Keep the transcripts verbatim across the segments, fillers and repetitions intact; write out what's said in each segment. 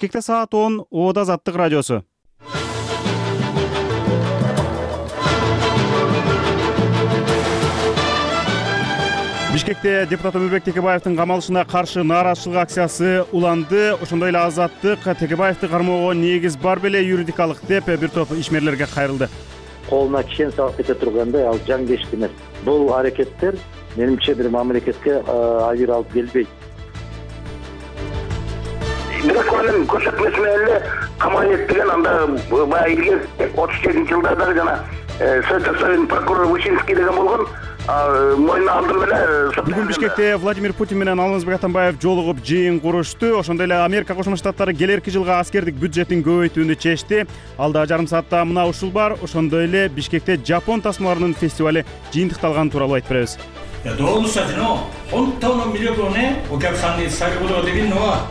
Бишкекте саат он, Оода Азаттык радиосу. Бишкекте депутат Өмүрбек Текебаевдин камалышына каршы нааразычылык акциясы уланды. Ошондой эле Азаттык Текебаевди кармоого негиз бар беле юридикалык деп бир топ ишмерлерге кайрылды. Колуна кишен салып кете тургандай ал жаңгештик эмес. Бул аракеттер менимче бир мамлекетке айыр алып келбейт. Бирөкөнүн көрсөтмеси менен эле камалет деген анда баягы илгер отуз жетинчи жылдардагы жана Совет Союзунун прокурору Вышинский деген болгон мойнуна алдырып эле. Бүгүн Бишкекте Владимир Путин менен Алмазбек Атамбаев жолугуп жыйын курушту. Ошондой эле Америка Кошмо Штаттары келерки жылга аскердик бюджетин көбөйтүүнү чечти. Алда жарым саатта мына ушул бар. Ошондой эле Бишкекте Жапон тасмаларынын фестивали жыйынтыкталганы тууралуу айтып беребиз. 動物たちの本当の魅力をね、お客さんに伝えることができるのは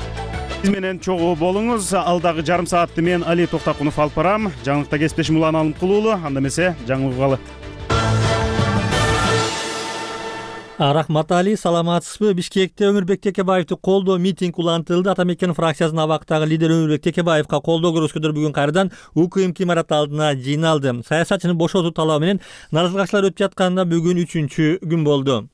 Биз менен чогуу болуңуз. Алдагы жарым саатты мен Али Токтакунов алып барам. Жаңылыкта кесиптешим Улан Алымкулуулу. Анда эмесе жаңы угалы. Рахмат Али, саламатсызбы? Бишкекте Өмүрбек Текебаевди колдоо митинг улантылды. Атамекен фракциясынын абактагы лидери Өмүрбек Текебаевга колдоо көрсөткөндөр бүгүн кайрадан УКМ имараты алдына жыйналды. Саясатчыны бошотуу талабы менен нааразычылыктар өтүп жатканда бүгүн үчүнчү күн болду.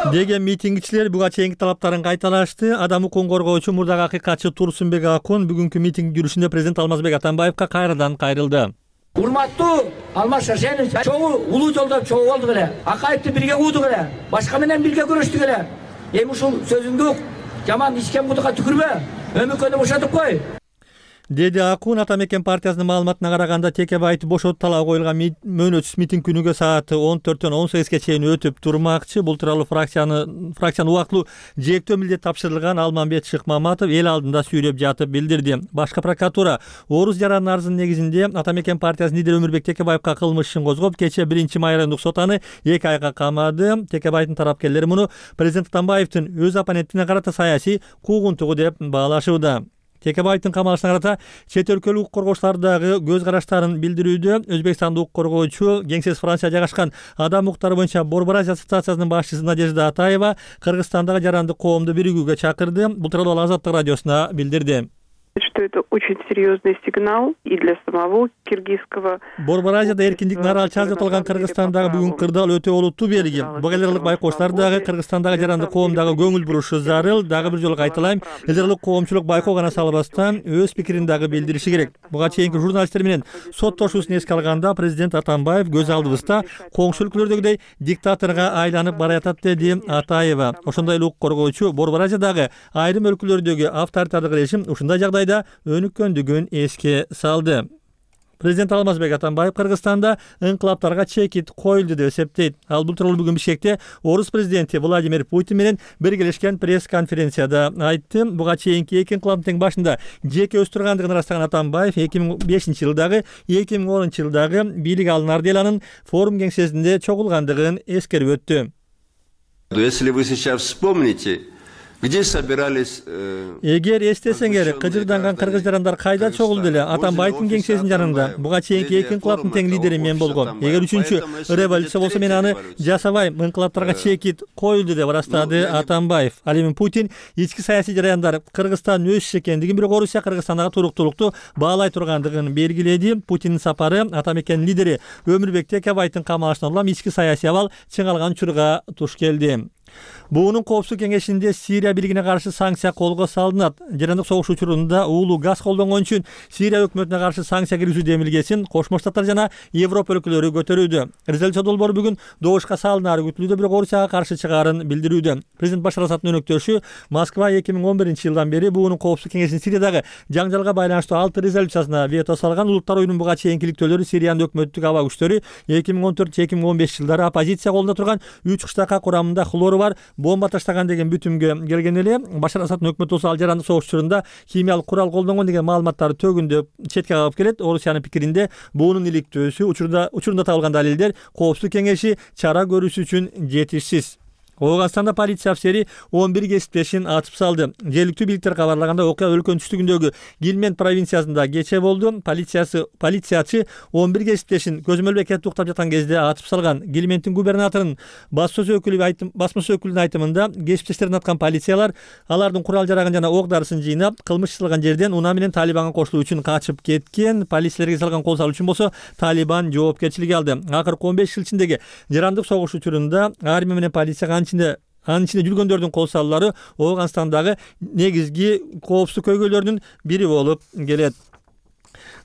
деген митингчилер буга чейинки талаптарын кайталашты. Адам укугун коргоочу мурдагы акыйкатчы Турсунбек Акун бүгүнкү митинг жүрүшүндө президент Алмазбек Атамбаевга кайрадан кайрылды. Урматтуу Алмаз Шаршенович, чогуу улуу жолдо чогуу болдук эле. Акаевди бирге угдук эле. Башка менен бирге күрөштүк эле. Эми ушул сөзүңдү жаман ичкен кудукка түкүрбө. Өмүкөнү бошотуп кой. Деди Акун. Атамекен партиясынын маалыматына караганда Текебаевди бошотуу талабы коюлган мөөнөтсүз митинг күнүгө саат он төрттөн он сегизге чейин өтүп турмакчы. Бул тууралуу фракцияны фракциянын убактылуу жээктөө милдет тапшырылган Алмамбет Шыкмаматов эл алдында сүйлөп жатып билдирди. Башкы прокуратура Орус жарандын арызынын негизинде Атамекен партиясынын лидери Өмүрбек Текебаевга кылмыш ишин козгоп, кечээ биринчи май райондук сот аны эки айга камады. Текебаевдин тарапкерлери муну президент Атамбаевдин өз оппонентине карата саясий куугунтугу деп баалашууда. Текебаевдин камалышына карата чет өлкөлүк укук коргоочулар дагы көз караштарын билдирүүдө. Өзбекстандык укук коргоочу Кеңсес Франция жайгашкан адам укуктары боюнча Борбор Азия ассоциациясынын башчысы Надежда Атаева Кыргызстандагы жарандык коомду биригүүгө чакырды. Бул тууралуу Азаттык радиосуна билдирди. Что это очень серьезный сигнал и для самого киргизского. Борбор Азияда эркиндик наралчы аз аталган Кыргызстандагы бүгүн кырдаал өтө олуттуу белги. Бул эл аралык байкоочулар дагы Кыргызстандагы жарандык коомдагы көңүл бурушу зарыл. Дагы бир жолу кайталайм, эл аралык коомчулук байкоо гана салбастан өз пикирин дагы билдириши керек. Буга чейинки журналисттер менен соттошуусун эске алганда президент Атамбаев көз алдыбызда коңшу өлкөлөрдөгүдөй диктаторго айланып баратат деди Атаева. Ошондой эле укук коргоочу Борбор Азиядагы айрым өлкөлөрдөгү авторитардык режим ушундай жагдайда өнүккөндүгүн эске салды. Президент Алмазбек Атамбаев Кыргызстанда инкылаптарга чекит коюлду деп эсептейт. Ал бул тууралуу бүгүн Бишкекте Орус президенти Владимир Путин менен биргелешкен пресс-конференцияда айтты. Буга чейинки эки инкылаптын тең башында жеке өз тургандыгын ырастаган Атамбаев эки миң бешинчи жылдагы эки миң онунчу жылдагы бийлик алынар деле анын форум кеңсесинде чогулгандыгын эскерип өттү. Если вы сейчас вспомните, где собирались... Эгер эстесеңер, кыжырданган кыргыз жарандар кайда чогулду эле? Атамбаевдин кеңсесинин жанында. Буга чейинки эки инкылаптын тең лидери мен болгом. Эгер үчүнчү революция болсо мен аны жасабайм. Инкылаптарга чекит коюлду деп ырастады Атамбаев. Ал эми Путин ички саясий жараяндар Кыргызстандын өз иши экендигин, бирок Орусия Кыргызстандагы туруктуулукту баалай тургандыгын белгиледи. Путиндин сапары Атамекен лидери Өмүрбек Текебаевдин камалышынан улам ички саясий абал чыңалган учурга туш келди. Буунун коопсуздук кеңешинде Сирия бийлигине каршы санкция колго салынат. Жарандык согуш учурунда уулуу газ колдонгон үчүн Сирия өкмөтүнө каршы санкция киргизүү демилгесин Кошмо Штаттар жана Европа өлкөлөрү көтөрүүдө. Резолюция долбоору бүгүн добушка салынары күтүлүүдө, бирок Орусияга каршы чыгаарын билдирүүдө. Президент Башар Асаддын өнөктөшү Москва эки миң он биринчи жылдан бери буунун коопсуздук кеңешинин Сириядагы жаңжалга байланыштуу алты резолюциясына вето салган. Улуттар оюнунун буга чейинки иликтөөлөрү Сириянын өкмөттүк аба күчтөрү эки миң он төрт эки миң он беш жылдары оппозиция колунда турган үч кыштакка курамында хлору бар бомба таштаган деген бүтүмгө келген эле. Башар Асаддын өкмөтү болсо ал жарандык согуш учурунда химиялык курал колдонгон деген маалыматтарды төгүндөп четке кагып келет. Орусиянын пикиринде буунун иликтөөсү учурда учурунда табылган далилдер коопсуздук кеңеши чара көрүш үчүн жетишсиз. Ооганстанда полиция офицери он бир кесиптешин атып салды. Жергиликтүү бийликтер кабарлаганда окуя өлкөнүн түштүгүндөгү Гилмент провинциясында кечээ болду. Полициясы полициячы он бир кесиптешин көзөмөлдө кетип уктап жаткан кезде атып салган. Гилменттин губернаторунун басмасы өкүлү айтым басмасы өкүлүнүн айтымында кесиптештерин аткан полициялар алардын курал жарагын жана ок дарысын жыйнап, кылмыш чыгылган жерден унаа менен Талибанга кошулуу үчүн качып кеткен. Полициялерге салган кол салуу үчүн болсо Талибан жоопкерчилик алды. Акыркы он беш жыл ичиндеги жарандык согуш учурунда армия менен полиция анын ичинде жүргөндөрдүн кол салуулары Ооганстандагы негизги коопсуздук көйгөйлөрүнүн бири болуп келет.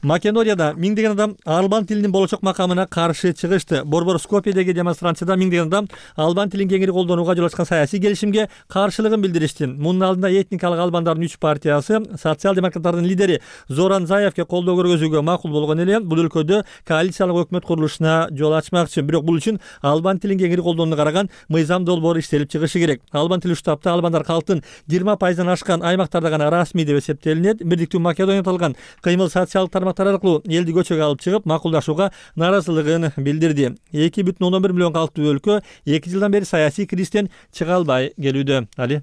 Македонияда миңдеген адам албан тилинин болочок макамына каршы чыгышты. Борбор Скопьедеги демонстрацияда миңдеген адам албан тилин кеңири колдонууга жол ачкан саясий келишимге каршылыгын билдиришти. Мунун алдында этникалык албандардын үч партиясы социал-демократтардын лидери Зоран Заевке колдоо көргөзүүгө макул болгон эле. Бул өлкөдө коалициялык өкмөт курулушуна жол ачмакчы. Бирок бул үчүн албан тилин кеңири колдонууга караган мыйзам долбоору иштелип чыгышы керек. Албан тили штабта албандар калктын жыйырма пайыздан ашкан аймактарда гана расмий деп эсептелинет. Бирдиктүү Македонияда аталган кыймыл социалдык тармактар аркылуу элди көчөгө алып чыгып, макулдашууга наразылыгын билдирди. эки бүтүн ондон бир миллион калктуу өлкө эки жылдан бери саясий кризистен чыга албай келүүдө. Али.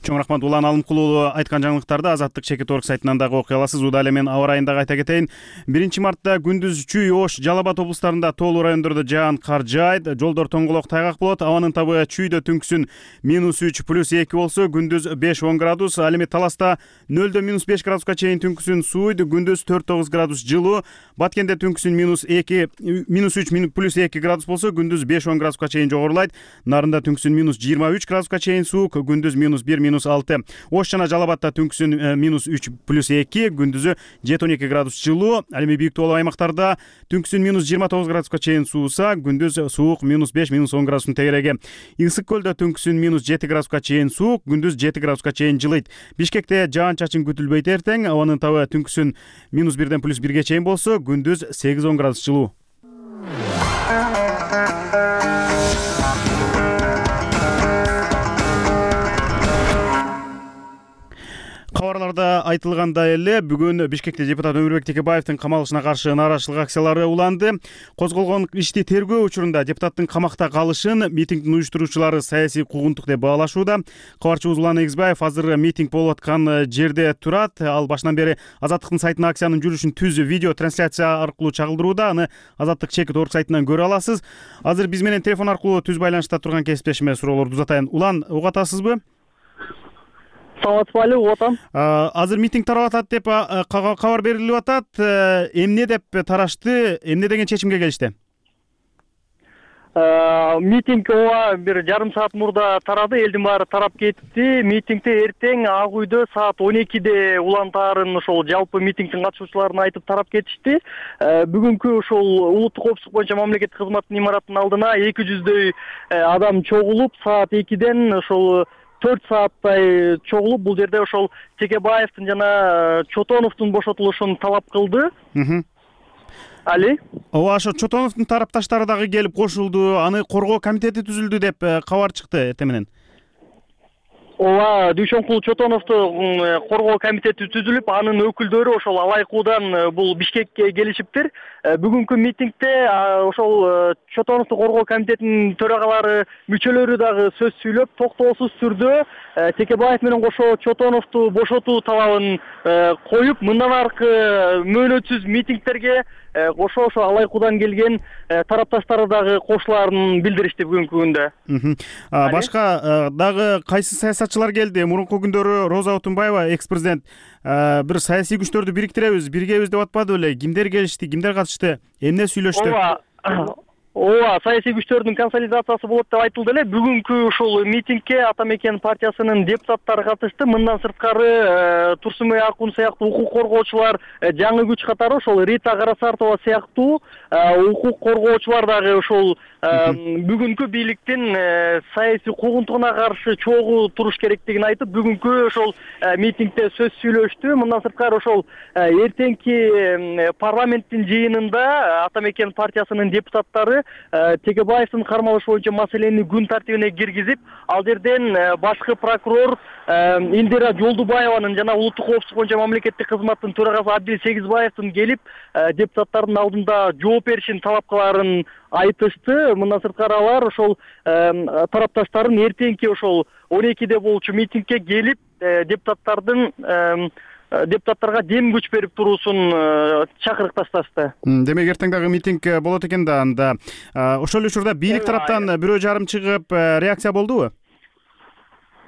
Чоң рахмат Улан Алымкулуу айткан жаңылыктарды Азаттык чекит орг сайтынан дагы окуй аласыз. Удаалы мен аба ырайын дагы айта кетейин. биринчи мартта күндүз Чүй, Ош, Жалал Абад облустарында тоолуу райондордо жаан кар жаайт, жолдор тоңголок тайгак болот. Абанын табы Чүйдө түнкүсүн минус үч плюс эки болсо, күндүз беш он градус, ал эми Таласта нөлдө минус беш градуска чейин түнкүсүн сууйт, күндүз төрт тогуз градус жылуу. Баткенде түнкүсүн минус эки минус үч плюс эки градус болсо, күндүз беш он градуска чейин жогорулайт. Нарында түнкүсүн минус жыйырма үч градуска чейин суук, күндүз минус бир минус алты. Ош жана Жалал Абадта түнкүсүн минус үч плюс эки, күндүзү жети он эки градус жылуу. Ал эми бийик тоолуу аймактарда түнкүсүн минус жыйырма тогуз градуска чейин сууса, күндүз суук минус беш минус он градустун тегереги. Ысык көлдө түнкүсүн минус жети градуска чейин суук, күндүз жети градуска чейин жылыйт. Бишкекте жаан чачын күтүлбөйт эртең. Абанын табы түнкүсүн минус бирден плюс бирге чейин болсо, күндүз сегиз он градус жылуу. Кабарларда айтылгандай эле, бүгүн Бишкекте депутат Өмүрбек Текебаевдин камалышына каршы нааразычылык акциялары уланды. Козголгон ишти тергөө учурунда депутаттын камакта калышын митингдин уюштуруучулары саясий куугунтук деп баалашууда. Кабарчыбыз Улан Эгизбаев азыр митинг болуп аткан жерде турат. Ал башынан бери Азаттыктын сайтына акциянын жүрүшүн түз видео трансляция аркылуу чагылдырууда. Аны Азаттык чекит орг сайтынан көрө аласыз. Азыр биз менен телефон аркылуу түз байланышта турган кесиптешиме суроолорду узатайын. Улан, угуп атасызбы? Саламатсызбы, угуп атам. Азыр митинг тарап атат деп кабар берилип атат. Эмне деп тарашты? Эмне деген чечимге келишти? Митинг ооба бир жарым саат мурда тарады, элдин баары тарап кетти. Митингди эртең Ак үйдө саат он экиде улантаарын ошол жалпы митингдин катышуучуларына айтып тарап кетишти. Бүгүнкү ошол улуттук коопсуздук боюнча мамлекеттик кызматтын имаратынын алдына эки жүздөй адам чогулуп, саат экиден ошол төрт сааттай чогулуп, бул жерде ошол Текебаевдин жана Чотоновдун бошотулушун талап кылды. Али? Ооба, ошо Чотоновдун тарапташтары дагы келип кошулду. Аны коргоо комитети түзүлдү деп кабар чыкты эртең менен. Ооба, Дүйшөнкул Чотоновдун коргоо комитети түзүлүп, анын өкүлдөрү ошол алайкуудан бул Бишкекке келишиптир. Бүгүнкү митингде ошол Чотоновдун коргоо комитетинин төрагалары, мүчөлөрү дагы сөз сүйлөп, токтоосуз түрдө Текебаев менен кошо Чотоновду бошотуу талабын коюп, мындан аркы мөөнөтсүз митингдерге кошо ошо алайкуудан келген тарапташтары дагы кошулаарын билдиришти бүгүнкү күндө. Башка дагы кайсы саясатчылар келди? Мурунку күндөрү Роза Отунбаева, экс-президент, бир саясий күчтөрдү бириктиребиз, биргебиз деп атпады беле? Кимдер келишти, кимдер катышты? Эмне сүйлөштү? Ооба. Ооба, саясий күчтөрдүн консолидациясы болот деп айтылды эле. Бүгүнкү ушул митингке Ата Мекен партиясынын депутаттары катышты. Мындан сырткары Турсунбай Акун сыяктуу укук коргоочулар, жаңы күч катары ошол Рита Карасартова сыяктуу укук коргоочулар дагы ошол бүгүнкү бийликтин саясий куугунтугуна каршы чогуу туруш керектигин айтып, бүгүнкү ошол митингде сөз сүйлөштү. Мындан сырткары ошол эртеңки парламенттин жыйынында Ата Мекен партиясынын депутаттары Текебаевдин кармалышы боюнча маселени күн тартибине киргизип, ал жерден башкы прокурор Индира Жолдубаеванын жана улуттук коопсуздук боюнча мамлекеттик кызматтын төрагасы Абдил Сегизбаевдин келип депутаттардын алдында жооп беришин талап кылаарын айтышты. Мындан сырткары алар ошол тарапташтардын эртеңки ошол он экиде болчу митингге келип депутаттардын депутаттарга дем күч берип туруусун чакырыкташташты. Демек эртең дагы митинг болот экен да. Анда ошол эле учурда бийлик тараптан бирөө жарым чыгып реакция болдубу?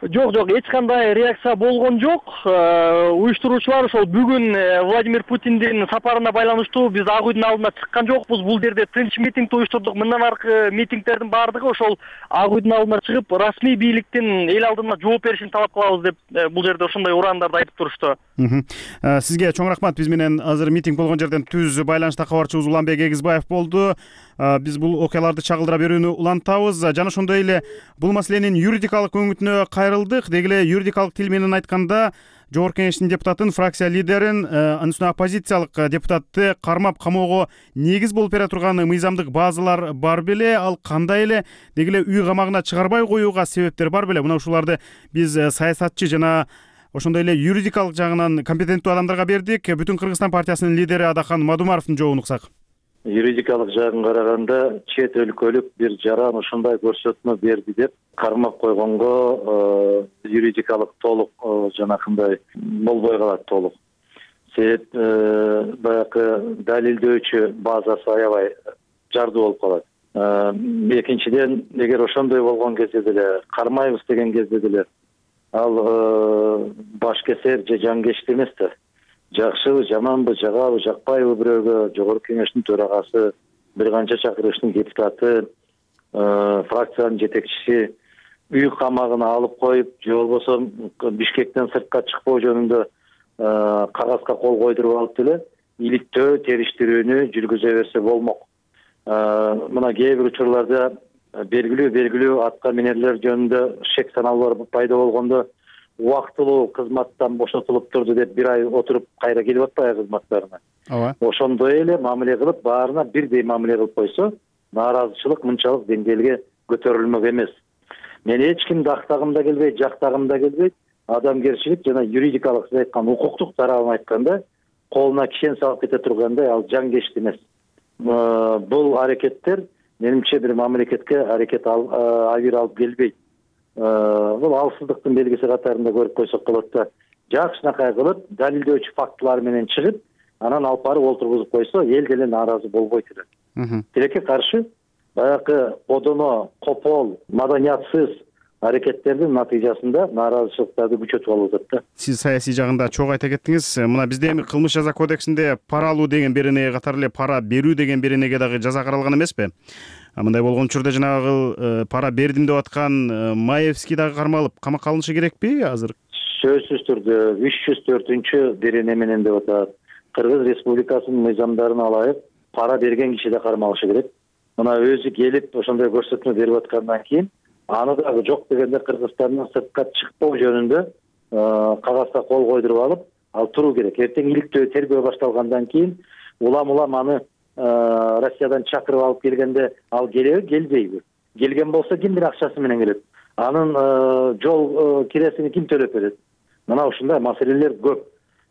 Жок, жок, эч кандай реакция болгон жок. Уюштуруучулар ошол бүгүн Владимир Путиндин сапарына байланыштуу биз Ак үйдүн алдына чыккан жокпуз. Бул жерде тынч митингди уюштурдук. Мындан аркы митингдердин баардыгы ошол Ак үйдүн алдына чыгып, расмий бийликтин эл алдына жооп беришин талап кылабыз деп бул жерде ошондой урандарды айтып турушту. Сизге чоң рахмат. Биз менен азыр митинг болгон жерден түз байланышта кабарчыбыз Уланбек Эгизбаев болду. Биз бул окуяларды чагылдыра берүүнү улантабыз. Жана ошондой эле бул маселенин юридикалык өңүтүнө кайрылдык. Деги эле юридикалык тил менен айтканда Жогорку Кеңештин депутатын, фракция лидерин, анын үстүнө оппозициялык депутатты кармап камоого негиз болуп бере турган мыйзамдык базалар бар беле? Ал кандай эле деги эле үй камагына чыгарбай коюуга себептер бар беле? Мына ушуларды биз саясатчы жана ошондой эле юридикалык жагынан компетенттүү адамдарга бердик. Бүтүн Кыргызстан партиясынын лидери Адахан Мадумаровдун жообун уксак. Юридикалык жагын караганда чет өлкөлүк бир жаран ушундай көрсөтмө берди деп кармап койгонго юридикалык толук жанакындай болбой калат толук. Себеп баягы далилдөөчү базасы аябай жардуу болуп калат. Экинчиден, эгер ошондой болгон кезде деле кармайбыз деген кезде деле ал башкесер же жангечти эмес да. Жакшыбы, жаманбы, жагабы, жакпайбы бирөөгө Жогорку Кеңештин төрагасы, бир канча чакырыштын депутаты, фракциянын жетекчиси үй камагына алып коюп, же болбосо Бишкектен сыртка чыкпоо жөнүндө кагазга кол койдуруп алып деле иликтөө, териштирүүнү жүргүзө берсе болмок. Мына кээ бир учурларда белгилүү белгилүү атка минерлер жөнүндө шек саналуулар пайда болгондо убактылуу кызматтан бошотулуп турду деп бир ай отуруп кайра келип атпайбы кызматтарына. Ооба. Ошондой эле мамиле кылып, баарына бирдей мамиле кылып койсо, нааразычылык мынчалык деңгээлге көтөрүлмөк эмес. Мен эч кимди актагым да келбейт, жактагым да келбейт. Адамгерчилик жана юридикалык сиз айткан укуктук тарабын айтканда, колуна кишен салып кете тургандай ал жангечти эмес. Бул аракеттер менимче бир мамлекетке аракет авир алып келбейт. Бул алсыздыктын белгиси катарында көрүп койсок болот да. Жакшынакай кылып, далилдөөчү фактылар менен чыгып, анан алып барып олтургузуп койсо, эл деле нааразы болбойт эле. Тилекке каршы баягы одоно, копол, маданиятсыз аракеттердин натыйжасында нааразычылыктарды күчөтүп алып атат да. Сиз саясий жагында чогуу айта кеттиңиз. Мына бизде эми кылмыш жаза кодексинде пара алуу деген беренеге катары эле пара берүү деген беренеге дагы жаза каралган эмеспи? Мындай болгон учурда жанагы пара бердим деп аткан Маевский дагы кармалып камакка алынышы керекпи азыр? Сөзсүз түрдө үч жүз төртүнчү берене менен деп атат. Кыргыз Республикасынын мыйзамдарына ылайык пара берген киши да кармалышы керек. Мына өзү келип ошондой көрсөтмө берип аткандан кийин аны дагы жок дегенде Кыргызстандан сыртка чыкпоо жөнүндө кагазга кол койдуруп алып, ал туруу керек. Эртең иликтөө, тергөө башталгандан кийин улам улам аны Россиядан чакырып алып келгенде ал келеби, келбейби? Келген болсо кимдин акчасы менен келет? Анын жол киресин ким төлөп берет? Мына ушундай маселелер көп.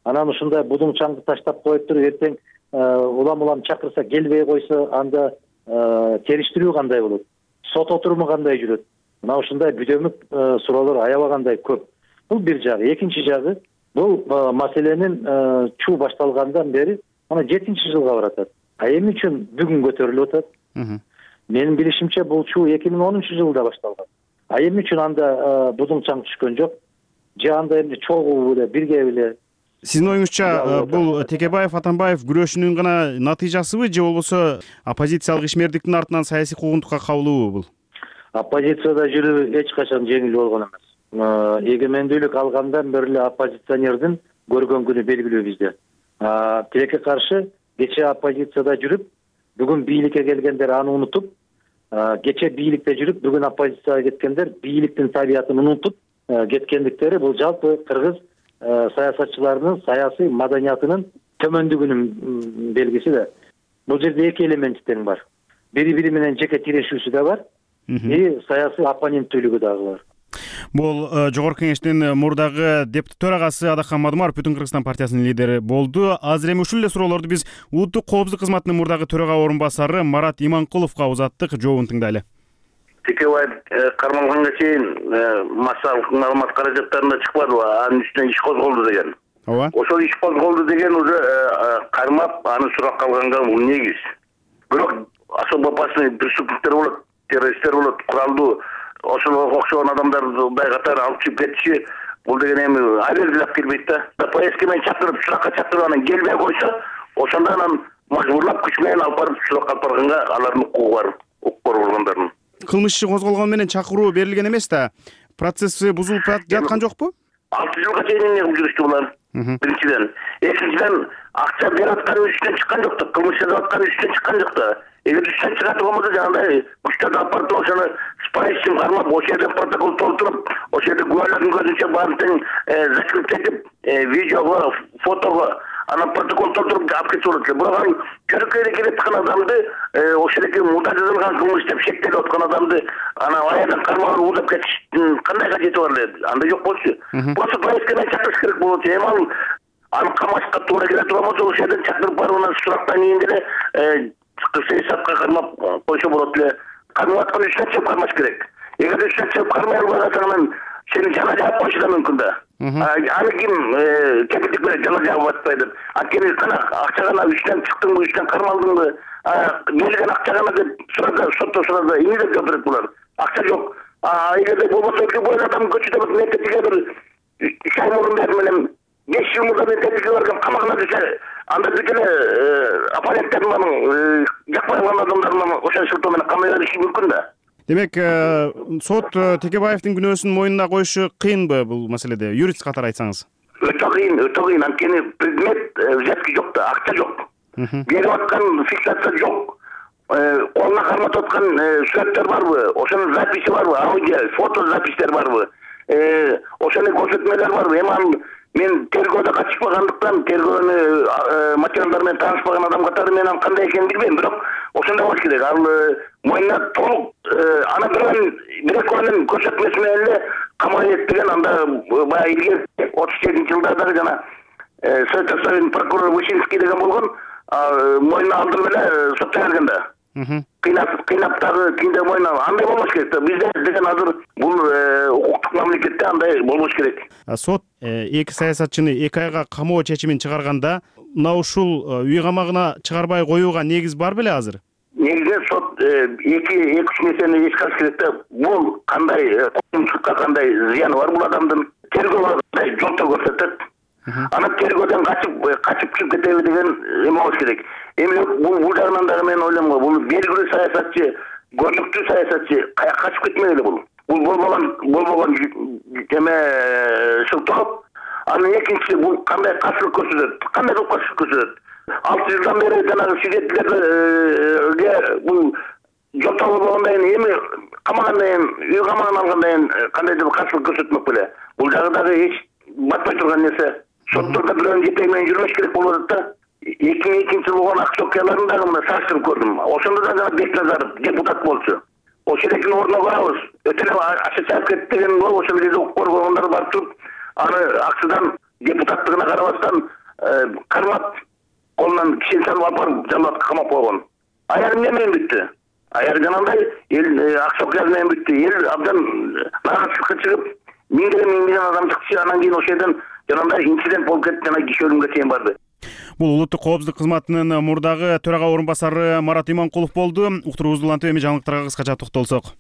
Анан ушундай будуң чаңды таштап коюп туруп эртең улам улам чакырса келбей койсо, анда териштирүү кандай болот? Сот отуруму кандай жүрөт? Мына ушундай бүдөмүк суроолор аябагандай көп. Бул бир жагы. Экинчи жагы, бул маселенин чуу башталгандан бери ана жетинчи жылга баратат. А эмне үчүн бүгүн көтөрүлүп атат? Менин билишимче бул чуу эки миң онунчу жылда башталган. А эмне үчүн анда будуң чаң түшкөн жок? Же анда эмне чогуу эле, бирге эле? Сиздин оюңузча бул Текебаев, Атамбаев күрөшүнүн гана натыйжасыбы же болбосо оппозициялык ишмердиктин артынан саясий куугунтукка кабылуубу бул? Оппозицияда жүрүү эч качан жеңил болгон эмес. Эгемендүүлүк алгандан бери эле оппозиционердин көргөн күнү белгилүү бизде. Тилекке каршы кече оппозицияда жүрүп, бүгүн бийликке келгендер аны унутуп, кече бийликте жүрүп, бүгүн оппозицияга кеткендер бийликтин табиятын унутуп кеткендиктери бул жалпы кыргыз саясатчыларынын саясий маданиятынын төмөндүгүнүн белгиси да. Бул жерде эки элемент тең бар. Бири бири менен жеке тирешүүсү да бар, и саясий оппоненттүүлүгү дагы бар. Бул жогорку кеңештин мурдагы депутат төрагасы Адакхан Мадумаров Бүтүн Кыргызстан партиясынын лидери болду. Азыр эми ушул эле суроолорду биз улуттук коопсуздук кызматынын мурдагы төрага орун басары Марат Иманкуловго узаттык. Жообун тыңдайлы. Текебаев кармалганга чейин массалык маалымат каражаттарында чыкпадыбы, анын үстүнөн иш козголду деген. Ооба. Ошол иш козголду деген уже кармап, аны суракка алганга бул негиз. Бирок особо опасный преступниктер болот, террористтер болот, куралдуу ошого окшогон адамдарды катары алып чыгып кетиши, бул деген эми абердилеп келбейт да. Поездке менен чакырып, суракка чакырып анан келбей койсо, ошондо анан мажбурлап күч менен алып барып суракка алып барганга алардын укугу бар, укук органдардын. Кылмыш иши козголгон менен чакыруу берилген эмес да. Процесси бузулуп жаткан жокпу? алты жылга чейин эмне кылып жүрүштү булар? Биринчиден, экинчиден акча берип аткан үстүнөн чыккан жок да, кылмыш жасап аткан үстүнөн чыккан жок да. Эгер үстүнөн чыгат болбосо жанагындай күчтөрдү алып барып ошону спайсин кармап, ошол жерде протокол толтуруп, ошол жерде күбөлөрдүн көзүнчө баарын тең закреп этип, видеого, фотого анан протокол толтуруп алып кетсе болот эле. Бирок анын көрөккөйдө келип аткан адамды, ошол жерде мурда жазылган кылмыш деп шектелип аткан адамды анан аядан кармалып уудап кетиштин кандай кажети бар эле? Андай жок болчу. Просто поездке менен чакырыш керек болот. Эми ал аны камашка туура келе турган болсо ошол жерден чакырып барып анан сурактан кийин деле сыйсапка кармап койсо болот эле. Кармап аткан үчүн чыгып кармаш керек. Эгер үчүн чыгып кармай албай калсаң анан сени жана жаап койушу да мүмкүн да. Аны ким кепилдик менен жана жаап атпайт деп. Анткени кана акча гана үчтөн чыктыңбы, үчтөн кармалдыңбы, берилген акча гана деп сураса, сотто сураса эмне деп жооп берет булар? Акча жок. А эгерде болбосо любой адам көчөдө мектепке бир чай мурун берип менен беш жыл мурда мектепке барган камагына түшө, анда бүт эле оппоненттердин анын жакпай калган адамдардын ошол шылтоо менен камай бериши мүмкүн да. Демек, сот Текебаевдин күнөөсүн мойнуна коюшу кыйынбы бул маселеде? Юрист катары айтсаңыз. Өтө кыйын, өтө кыйын. Анткени предмет взятки жок да, акча жок. Берип аткан фиксация жок. Колуна карматып аткан сүрөттөр барбы? Ошонун записи барбы? Аудио, фото запистер барбы? Ошонун көрсөтмөлөр барбы? Эми мен тергөөдө катышпагандыктан, тергөөнүн материалдары менен таанышпаган адам катары мен анын кандай экенин билбейм, бирок ошондой болуш керек. Ал мойнуна толук аны бирөөнүн бир экөөнүн көрсөтмөсү менен эле камай этпеген, анда баягы илгери отуз сегизинчи жылдардагы жана Совет Союзунун прокурору Вышинский деген болгон, мойнуна алдырып эле сотто берген да. Кыйнап, кыйнап дагы кийинде мойнуна андай болбош керек да. Бизде деген азыр бул укуктук мамлекетте андай болбош керек. Сот эки саясатчыны эки айга камоо чечимин чыгарганда, мына ушул үй камагына чыгарбай коюуга негиз бар беле азыр? Негизинен сот эки эки үч нерсени эскериш керек да. Бул кандай коомчулукка кандай зыяны бар бул адамдын, тергөө кандай жолтоо көрсөтөт. Аны тергөөдөн качып качып чыгып кетеби деген эме болуш керек. Эми бул бул жагынан дагы мен ойлойм, бул белгилүү саясатчы, көрүнүктүү саясатчы каяка качып кетмегиле бул. Бул болбогон болбогон эме шылтоо. Анын экинчиси бул кандай каршылык көрсөтөт, кандай кылып каршылык көрсөтөт. алты жылдан бери жанагы свидетельлерге бул жолтоо болбогондон кийин эми камагандан кийин, үй камагына алгандан кийин кандайдыр бир каршылык көрсөтмөк беле. Бул жагы дагы эч батпай турган нерсе. Соттордо бирөөнүн жетеги менен жүрмөш керек болуп атат да. эки миң экинчи жылы болгон ак окуяларын дагы мына салыштырып көрдүм. Ошондо да жана Бекназаров депутат болчу. Ошол экинин ордуна барабыз. Өтө эле аша чаап кетти деген бол, ошол жерде укук коргонгондор барып туруп, аны акчадан депутаттыгына карабастан кармап, колунан кишени салып алып барып жамаатка камап койгон. Аягы эмне менен бүттү? Аягы жанагындай эл ак окуя менен бүттү. Эл абдан нааразычылыкка чыгып, миңдеген миңдеген адам чыкчы, анан кийин ошол жерден жанагындай инцидент болуп кетти, жана киши өлүмгө чейин барды. Бул улуттук коопсуздук кызматынын мурдагы төрага орун басары Марат Иманкулов болду. Уктуруубузду улантып эми жаңылыктарга кыскача токтолсок.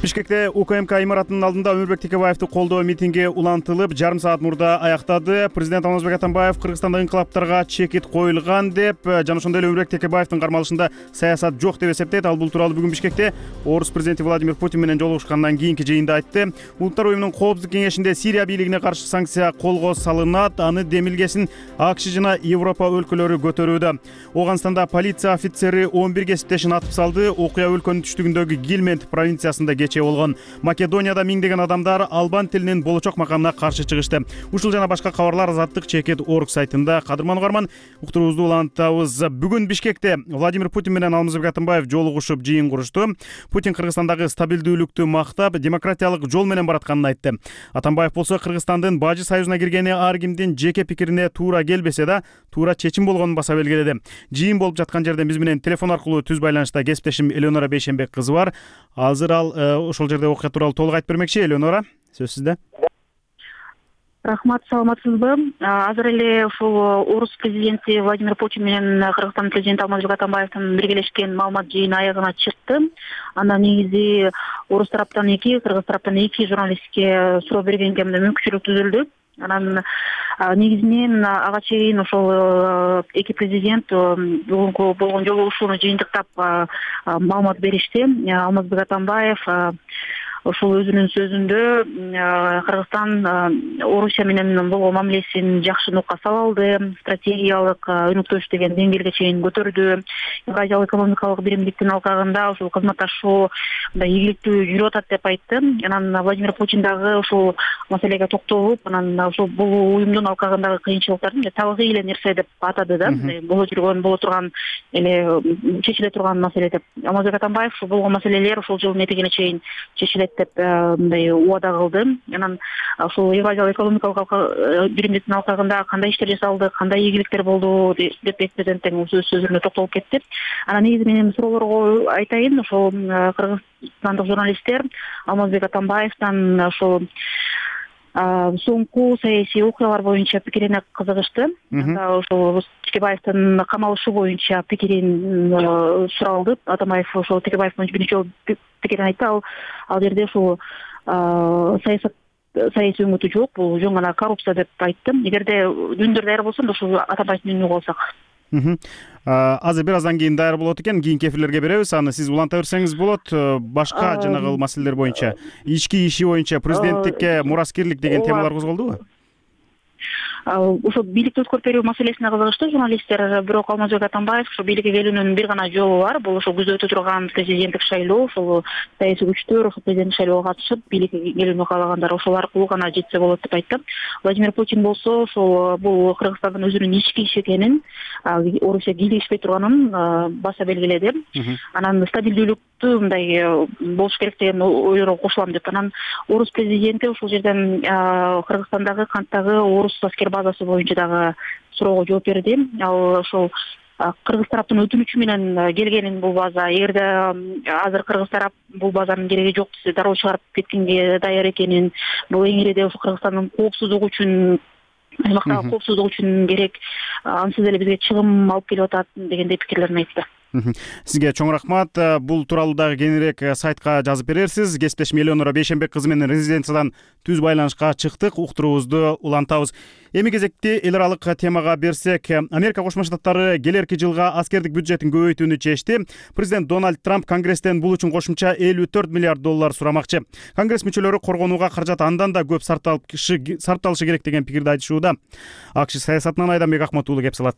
Бишкекте УКМК имаратынын алдында Өмүрбек Текебаевди колдоо митинги улантылып, жарым саат мурда аяктады. Президент Алмазбек Атамбаев Кыргызстанда инкылаптарга чекит коюлган деп, жана ошондой эле Өмүрбек Текебаевдин кармалышында саясат жок деп эсептейт. Ал бул тууралуу бүгүн Бишкекте Орус президенти Владимир Путин менен жолугушкандан кийинки жыйында айтты. Улуттар уюмунун коопсуздук кеңешинде Сирия бийлигине каршы санкция колго салынат. Аны демилгесин АКШ жана Европа өлкөлөрү көтөрүүдө. Оганстанда полиция офицери он бир кесиптешин атып салды. Окуя өлкөнүн түштүгүндөгү Гилмент провинциясында кечиrildi. чече болгон. Македонияда миңдеген адамдар албан тилинин болочок макамына каршы чыгышты. Ушул жана башка кабарлар Азаттык чекит орг сайтында. Кадырман угарман, уктуруубузду улантабыз. Бүгүн Бишкекте Владимир Путин менен Алмазбек Атамбаев жолугушуп жыйын курушту. Путин Кыргызстандагы стабилдүүлүктү мактап, демократиялык жол менен баратканын айтты. Атамбаев болсо Кыргызстандын Бажы союзуна киргени ар кимдин жеке пикирине туура келбесе да, туура чечим болгонун баса белгиледи. Жыйын болуп жаткан жерден биз менен телефон аркылуу түз байланышта кесиптешим Элеонора Бейшенбек кызы бар. Азыр ал ошол жерде окуя тууралуу толук айтып бермекчи. Элеонора, сөз сизде. Рахмат, саламатсызбы? Азыр эле ушул орус президенти Владимир Путин менен Кыргызстан президенти Алмазбек Атамбаевдин биргелешкен маалымат жыйыны аягына чыкты. Анда негизи орус тараптан эки, кыргыз тараптан эки журналистке суроо бергенге мүмкүнчүлүк түзүлдү. Анан негизинен ага чейин ошол эки президент бүгүнкү болгон жолугушууну жыйынтыктап маалымат беришти. Алмазбек Атамбаев ошол өзүнүн сөзүндө Кыргызстан Орусия менен болгон мамилесин жакшы нукка сала алды, стратегиялык өнөктөш деген деңгээлге чейин көтөрдү. Евразиялык экономикалык биримдиктин алкагында ушул кызматташуу мындай ийгиликтүү жүрүп атат деп айтты. Анан Владимир Путин дагы ушул маселеге токтолуп, анан ушул бул уюмдун алкагындагы кыйынчылыктарды табигый эле нерсе деп атады да. Боло жүргөн, боло турган эле чечиле турган маселе деп. Алмазбек Атамбаев ушул болгон маселелер ушул жылдын этегине чейин чечилет деп мындай убада кылды. Анан ушул Евразиялык экономикалык биримдиктин алкагында кандай иштер жасалды, кандай ийгиликтер болду деп президент өз сөзүндө токтолуп кетти. Анан негизи менин суроолорго айтайын, ошол кыргызстандык журналисттер Алмазбек Атамбаевден ошол соңку саясий окуялар боюнча пикирине кызыгышты. Ошол Текебаевдин камалышы боюнча пикирин суралды. Атамбаев ошол Текебаев боюнча биринчи жолу пикирин айтты. Ал ал жерде ушул саясат саясий өңүтү жок, бул жөн гана коррупция деп айтты. Эгерде дүндөр даяр болсо, ошол Атамбаевдин үнүн угуп алсак. Азыр бир аздан кийин даяр болот экен, кийинки эфирлерге беребиз. Аны сиз уланта берсеңиз болот. Башка жанагы маселелер боюнча, ички иши боюнча, президенттикке мураскерлик деген темалар козголдубу? Ошо бийликти өткөрүп берүү маселесине кызыгышты журналисттер. Бирок Алмазбек Атамбаев ошо бийликке келүүнүн бир гана жолу бар. Бул ошо күздө өтө турган президенттик шайлоо, ошол саясий күчтөр ошо президенттик шайлоого катышып, бийликке келүүнү каалагандар ошол аркылуу гана жетсе болот деп айтты. Владимир Путин болсо ошол бул Кыргызстандын өзүнүн ички иши экенин, Орусия кийлигишпей турганын баса белгиледи. Анан стабилдүүлүктү мындай болуш керек деген ойлорго кошулам деп. Анан орус президенти ушул жерден Кыргызстандагы канттагы орус аскер базасы боюнча дагы суроого жооп берди. Ал ошол кыргыз тараптын өтүнүчү менен келгенин бул база, эгерде азыр кыргыз тарап бул базанын кереги жок десе, дароо чыгарып кеткенге даяр экенин, бул эң иреде ошо Кыргызстандын коопсуздугу үчүн, аймактагы коопсуздук үчүн керек, ансыз эле бизге чыгым алып келип атат дегендей пикирлерин айтты. Сизге чоң рахмат. Бул тууралуу дагы кеңирээк сайтка жазып берерсиз. Кесиптешим Элеонора Бейшенбек кызы менен резиденциядан түз байланышка чыктык, уктуруубузду улантабыз. Эми кезекти эл аралык темага берсек, Америка Кошмо Штаттары келерки жылга аскердик бюджетин көбөйтүүнү чечти. Президент Дональд Трамп Конгресстен бул үчүн кошумча элүү төрт миллиард доллар сурамакчы. Конгресс мүчөлөрү коргонууга каражат андан да көп сарпталышы керек деген пикирди айтышууда. АКШ саясатынан Айданбек Ахмат уулу кеп салат.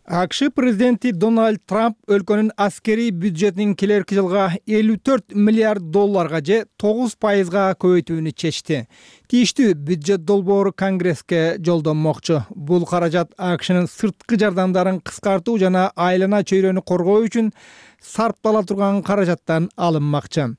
АКШ президенти Дональд Трамп өлкөнүн аскерий бюджетин келерки жылга элүү төрт миллиард долларга же тогуз пайызга көбөйтүүнү чечти. Тийиштүү бюджет долбоору Конгресске жолдонмокчу. Бул каражат АКШнын сырткы жардамдарын кыскартуу жана айлана чөйрөнү коргоо үчүн сарптала турган каражаттан алынмакчы.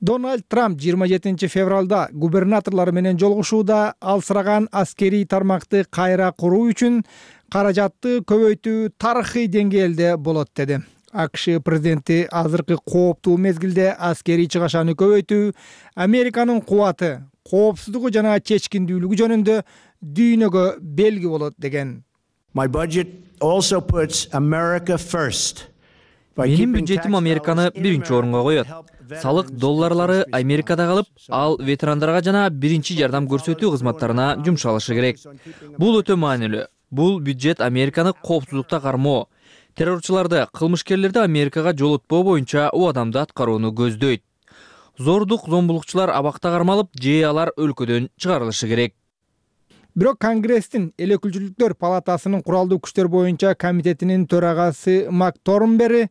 Дональд Трамп жыйырма жетинчи февралда губернаторлор менен жолугушууда алсыраган аскерий тармакты кайра куруу үчүн каражатты көбөйтүү тарыхый деңгээлде болот деди. АКШ президенти азыркы кооптуу мезгилде аскерий чыгашаны көбөйтүү Американын кубаты, коопсуздугу жана чечкиндүүлүгү жөнүндө дүйнөгө белги болот деген. My budget also puts America first. Менин бюджетим Американы биринчи орунга коет. Салык долларлары Америкада калып, ал ветерандарга жана биринчи жардам көрсөтүү кызматтарына жумшалышы керек. Бул өтө маанилүү. Бул бюджет Американы коопсуздукта кармоо, террорчуларды, кылмышкерлерди Америкага жолотпоо боюнча убадамды аткарууну көздөйт. Зордук зомбулукчулар абакта кармалып, же алар өлкөдөн чыгарылышы керек. Бирок Конгресстин эл өкүлчүлүктөр палатасынын куралдуу күчтөр боюнча комитетинин төрагасы Мак Торнбери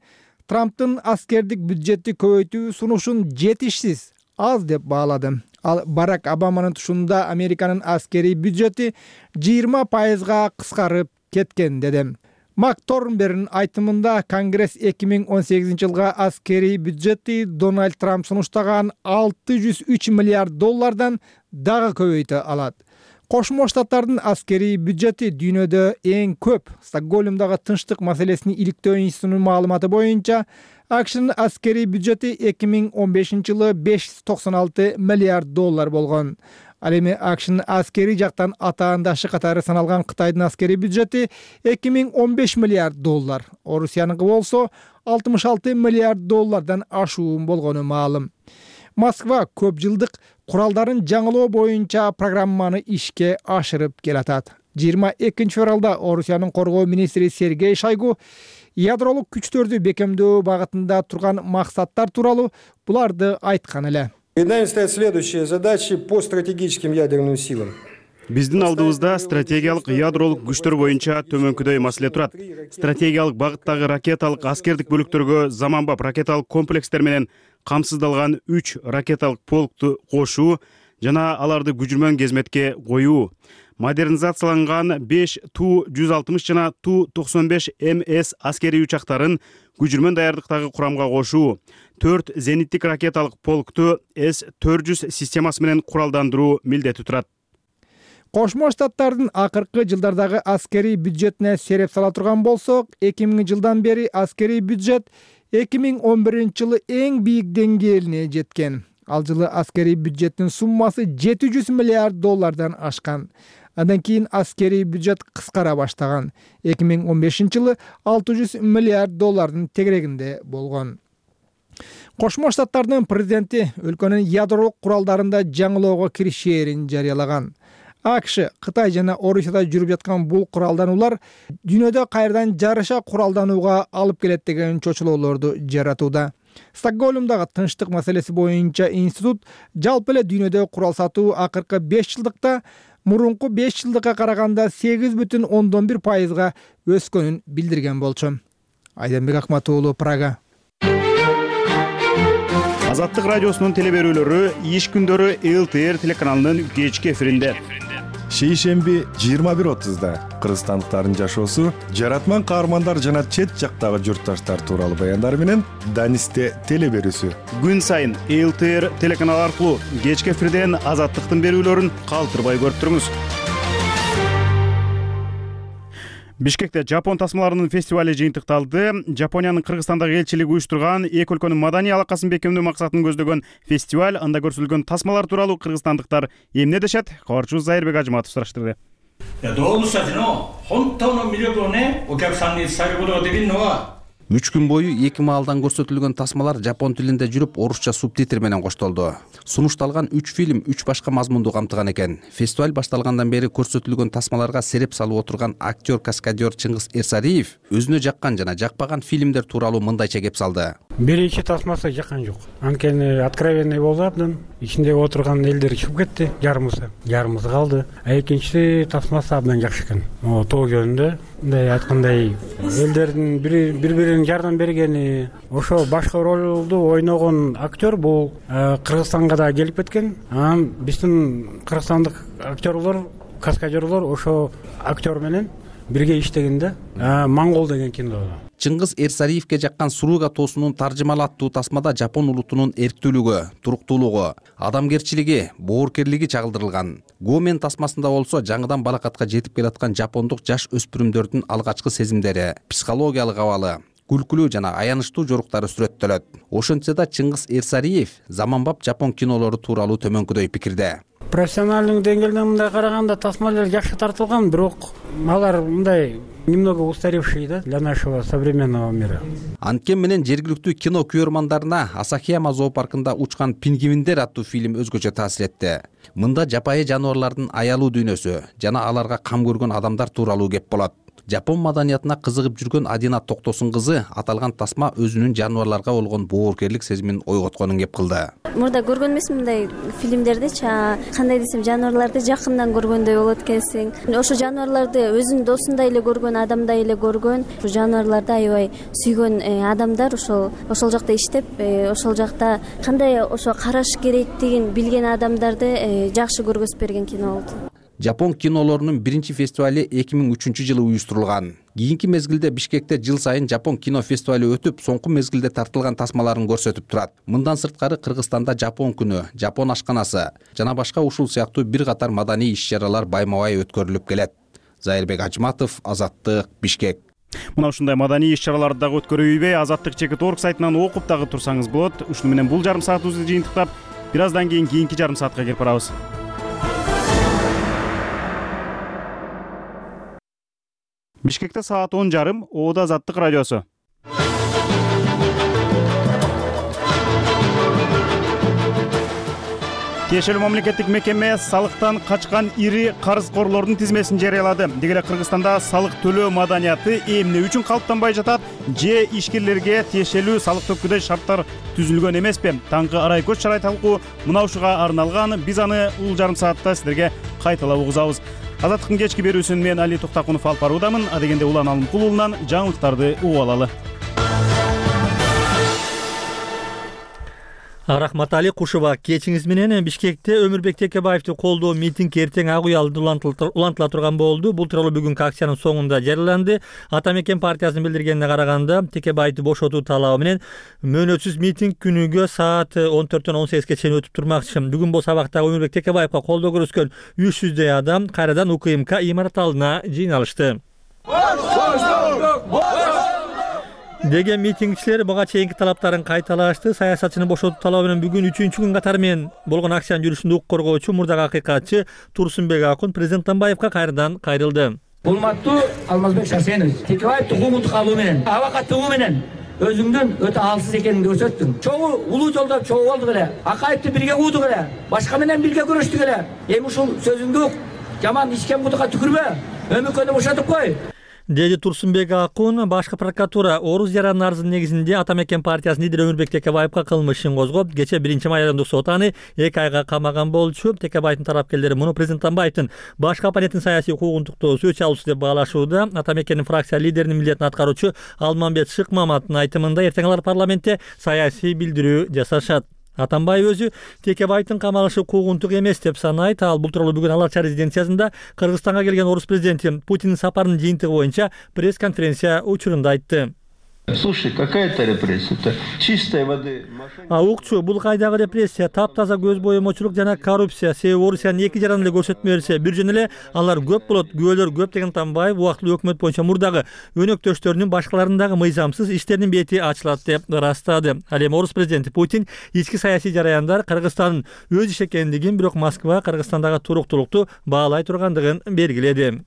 Трамптын аскердик бюджетти көбөйтүү сунушун жетишсиз, аз деп баалады. Ал Барак Обаманын тушунда Американын аскерий бюджети жыйырма пайызга кыскарып кеткен деди. Мак Торнберн айтымында Конгресс эки миң он сегизинчи жылга аскерий бюджети Дональд Трамп сунуштаган алты жүз үч миллиард доллардан дагы көбөйтө алат. Кошмо Штаттардын аскерий бюджети дүйнөдө эң көп. Стокгольмдагы тынчтык маселесин иликтөө институтунун маалыматы боюнча АКШнын аскерий бюджети эки миң он бешинчи жылы беш жүз токсон алты миллиард доллар болгон. Ал эми АКШнын аскерий жактан атаандашы катары саналган Кытайдын аскерий бюджети эки миң он беш миллиард доллар. Орусияныкы болсо алтымыш алты миллиард доллардан ашуун болгону маалым. Москва көп жылдык куралдарын жаңылоо боюнча программаны ишке ашырып келатат. жыйырма экинчи февралда Орусиянын коргоо министри Сергей Шойгу ядролук күчтөрдү бекемдөө багытында турган максаттар тууралуу буларды айткан эле. Перед нами стоят следующие задачи по стратегическим ядерным силам. Биздин алдыбызда стратегиялык ядролук күчтөр боюнча төмөнкүдөй маселе турат. Стратегиялык багыттагы ракеталык аскердик бөлүктөргө заманбап ракеталык комплекстер менен камсыздалган үч ракеталык полкту кошуу жана аларды күжүрмөн кезметке коюу. Модернизацияланган беш Ту жүз алтымыш жана Ту токсон беш М С аскерий учактарын күжүрмөн даярдыктагы курамга кошуу. төрт зениттик ракеталык полкту С төрт жүз системасы менен куралдандыруу милдети турат. Кошмо Штаттардын акыркы жылдардагы аскерий бюджетине сереп сала турган болсок, эки миңинчи жылдан бери аскерий бюджет эки миң он биринчи жылы эң бийик деңгээлине жеткен. Ал жылы аскерий бюджеттин суммасы жети жүз миллиард доллардан ашкан. Андан кийин аскерий бюджет кыскара баштаган. эки миң он бешинчи жылы алты жүз миллиард доллардын тегерегинде болгон. Кошмо Штаттардын президенти өлкөнүн ядролук куралдарында жаңылоого киришээрин жарыялаган. АКШ, Кытай жана Орусияда жүрүп жаткан бул куралдануулар дүйнөдө кайрадан жарыша куралданууга алып келет деген чочулоолорду жаратууда. Стокгольмдагы тынчтык маселеси боюнча институт жалпы эле дүйнөдө курал сатуу акыркы беш жылдыкта мурунку беш жылдыкка караганда сегиз бүтүн ондон бир пайызга өскөнүн билдирген болчу. Айданбек Акматуулу, Прага. Азаттык радиосунун телеберүүлөрү иш күндөрү Л Т Р телеканалынын кечки эфиринде. Шейшемби жыйырма бир отузда кыргызстандыктардын жашоосу, жаратман каармандар жана чет жактагы журтташтар тууралуу баяндар менен Данисте телеберүүсү. Күн сайын Л Т Р телеканалы аркылуу кечки эфирден азаттыктын берүүлөрүн калтырбай көрүп туруңуз. Бишкекте Жапон тасмаларынын фестивали жыйынтыкталды. Жапониянын Кыргызстандагы элчилиги уюштурган эки өлкөнүн маданий алакасын бекемдөө максатын көздөгөн фестиваль, анда көрсөтүлгөн тасмалар тууралуу кыргызстандыктар эмне дешет? Кабарчыбыз Зайырбек Ажыматов сураштырды. 動物たちの本当の魅力をね、お客さんに伝えることができるのは үч күн бою эки маалдан көрсөтүлгөн тасмалар жапон тилинде жүрүп, орусча субтитр менен коштолду. Сунушталган үч фильм үч башка мазмунду камтыган экен. Фестиваль башталгандан бери көрсөтүлгөн тасмаларга сереп салып отурган актер-каскадер Чыңгыз Эрсариев өзүнө жаккан жана жакпаган фильмдер тууралуу мындайча кеп салды. Биринчи тасмасы жаккан жок. Анткени откровенный болду абдан. Ичинде отурган элдер чыгып кетти, жарымысы. Жарымысы калды. А экинчи тасмасы абдан жакшы экен. О, тоо жөнүндө мындай айткандай элдердин бири-бирин жардам бергени, ошо башкы ролду ойногон актер бул Кыргызстанга да келип кеткен. Анан биздин кыргызстандык актерлор, каскадерлор ошо актер менен бирге иштегенде Монгол деген кинодо. Чыңгыз Эрсариевке жаккан Сурууга тоосунун таржымалы аттуу тасмада жапон улутунун эрктүүлүгү, туруктуулугу, адамгерчилиги, боорукерлиги чагылдырылган. Гомен тасмасында болсо жаңыдан балакатка жетип келаткан жапондук жаш өспүрүмдөрдүн алгачкы сезимдери, психологиялык абалы, күлкүлүү жана аянычтуу жоруктары сүрөттөлөт. Ошентсе да Чыңгыз Эрсариев заманбап жапон кинолору тууралуу төмөнкүдөй пикирде. Профессионалдык деңгээлден мындай караганда тасмалар жакшы тартылган, бирок алар мындай немного устаревшие да для нашего современного мира. Анткени менен жергиликтүү кино көрөрмандарына Асахияма зоопаркында учкан пингвиндер аттуу фильм өзгөчө таасир этти. Мында жапайы жаныбарлардын аялуу дүйнөсү жана аларга кам көргөн адамдар тууралуу кеп болот. Жапон маданиятына кызыгып жүргөн Адина Токтосун кызы аталган тасма өзүнүн жаныбарларга болгон боорукерлик сезимин ойготконун кеп кылды. Мурда көргөн эмесмин мындай фильмдердичи, кандай десем, жаныбарларды жакындан көргөндөй болот экенсиң. Ошо жаныбарларды өзүнүн досундай эле көргөн, адамдай эле көргөн, жаныбарларды аябай сүйгөн адамдар ошол ошол жакта иштеп, ошол жакта кандай ошо караш керектигин билген адамдарды жакшы көргөзүп берген кино болду. Жапон кинолорунун биринчи фестивали эки миң үчүнчү жылы уюштурулган. Кийинки мезгилде Бишкекте жыл сайын Жапон кино фестивали өтүп, соңку мезгилде тартылган тасмаларын көрсөтүп турат. Мындан сырткары Кыргызстанда Жапон күнү, Жапон ашканасы жана башка ушул сыяктуу бир катар маданий иш-чаралар байма-бай өткөрүлүп келет. Зайырбек Ажматов, Азаттык, Бишкек. Мына ушундай маданий иш-чараларды дагы өткөрөйбү? Азаттык чекит орг сайтынан окуп дагы турсаңыз болот. Ушуну менен бул жарым саатыбызды жыйынтыктап, бир аздан кийин кийинки жарым саатка кирип барабыз. Бишкекте саат он жарым, Оода Азаттык радиосу. Тиешелүү мамлекеттик мекеме салыктан качкан ири карызкорлордун тизмесин жарыялады. Деги эле Кыргызстанда салык төлөө маданияты эмне үчүн калыптанбай жатат же ишкерлерге тиешелүү салык төккүдөй шарттар түзүлгөн эмеспи? Таңкы арай көч чарай талкуу мына ушуга арналган. Биз аны бул жарым саатта силерге кайталап угузабыз. Азаттыктын кечки берүүсүн мен Али Токтакунов алып баруудамын. Адегенде Улан Алымкул уулунан жаңылыктарды угуп алалы. Рахматали Кушуба, кечиңиз менен Бишкекте Өмүрбек Текебаевди колдоо митинг эртең ак уялды улантыла турган болду. Бул тууралуу бүгүнкү акциянын соңунда жарыяланды. Ата Мекен партиясынын билдиргенине караганда, Текебаевди бошотуу талабы менен мөөнөтсүз митинг күнүгө саат он төрттөн он сегизге чейин өтүп турмакчы. Бүгүн бул сабакта Өмүрбек Текебаевга колдоо көрсөткөн үч жүздөй адам кайрадан УКМК имарат алдына жыйналышты. Деген митингчилер буга чейинки талаптарын кайталашты. Саясатчыны бошотуу талабы менен бүгүн үчүнчү күн катары менен болгон акциянын жүрүшүндө укук коргоочу мурдагы акыйкатчы Турсунбек Акун президент Атамбаевга кайрадан кайрылды. Урматтуу Алмазбек Шарсенович, Текебаевди куугунтук алуу менен, абакаттыгуу менен өзүңдүн өтө алсыз экениңди көрсөттүң. Чогуу улуу жолдо чогуу болдук эле, Акаевди бирге куудук эле, башка менен бирге күрөштүк эле. Эми ушул сөзүңдү жаман ичкен кудукка түкүрбө, өмүкөнү бошотуп кой. Деди Турсунбек Акун. Башкы прокуратура Орус жаранын арызынын негизинде Ата Мекен партиясынын лидери Өмүрбек Текебаевга кылмыш ишин козгоп, кече биринчи май айылындагы сот аны эки айга камаган болчу. Текебаевдин тарапкерлери муну президент Атамбаевдин башка оппоненттин саясий укугунтуктоосу өч алуусу деп баалашууда. Ата Мекендин фракция лидеринин милдетин аткаруучу Алмамбет Шыкмаматтын айтымында эртең алар парламентте саясий билдирүү жасашат. Атамбаев өзү Текебаевдин камалышы куугунтук эмес деп санайт. Ал бул тууралуу бүгүн Ала Чаа резиденциясында Кыргызстанга келген орус президенти Путиндин сапарынын жыйынтыгы боюнча пресс-конференция учурунда айтты. Слушай, какая-то репрессия? Чистой воды. А укчу, бул кайдагы репрессия? Таптаза көз боемочулук жана коррупция. Себеби Орусиянын эки жаран эле көрсөтмө берсе, бир жөн эле алар көп болот, күбөлөр көп деген Атамбаев убактылуу өкмөт боюнча мурдагы өнөктөштөрүнүн башкаларынын дагы мыйзамсыз иштеринин бети ачылат деп ырастады. Ал эми орус президенти Путин ички саясий жараяндар Кыргызстандын өз иши экендигин, бирок Москва Кыргызстандагы туруктуулукту баалай тургандыгын белгиледи.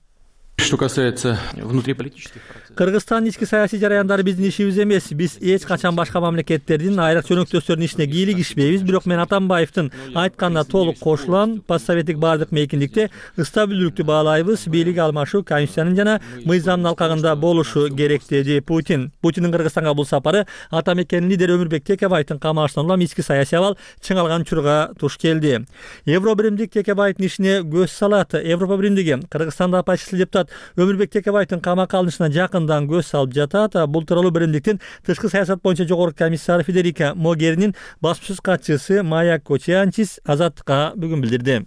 Что касается внутриполитических процессов. Кыргызстандын ички саясий жараяндары биздин ишибиз эмес. Биз эч качан башка мамлекеттердин айрыкча өнөктөштөрүнүн ишине кийлигишпейбиз. Бирок мен Атамбаевдин айтканына толук кошулам. Постсоветтик баардык мейкиндикте стабилдүүлүктү баалайбыз. Бийлик алмашуу конституциянын жана мыйзамдын алкагында болушу керек, деди Путин. Путиндин Кыргызстанга бул сапары Ата Мекендин лидери Өмүрбек Текебаевдин камалышынан улам ички саясий абал чыңалган учурга туш келди. Евробиримдик Текебаевдин ишине көз салат. Европа биримдиги Кыргызстанда оппозициялык депутат Өмүрбек Текебаевдин камакка алынышына жакындан көз салып жатат. Бул тууралуу биримдиктин тышкы саясат боюнча жогорку комиссары Федерика Могеринин басмасөз катчысы Майя Кочианчис Азаттыкка бүгүн билдирди.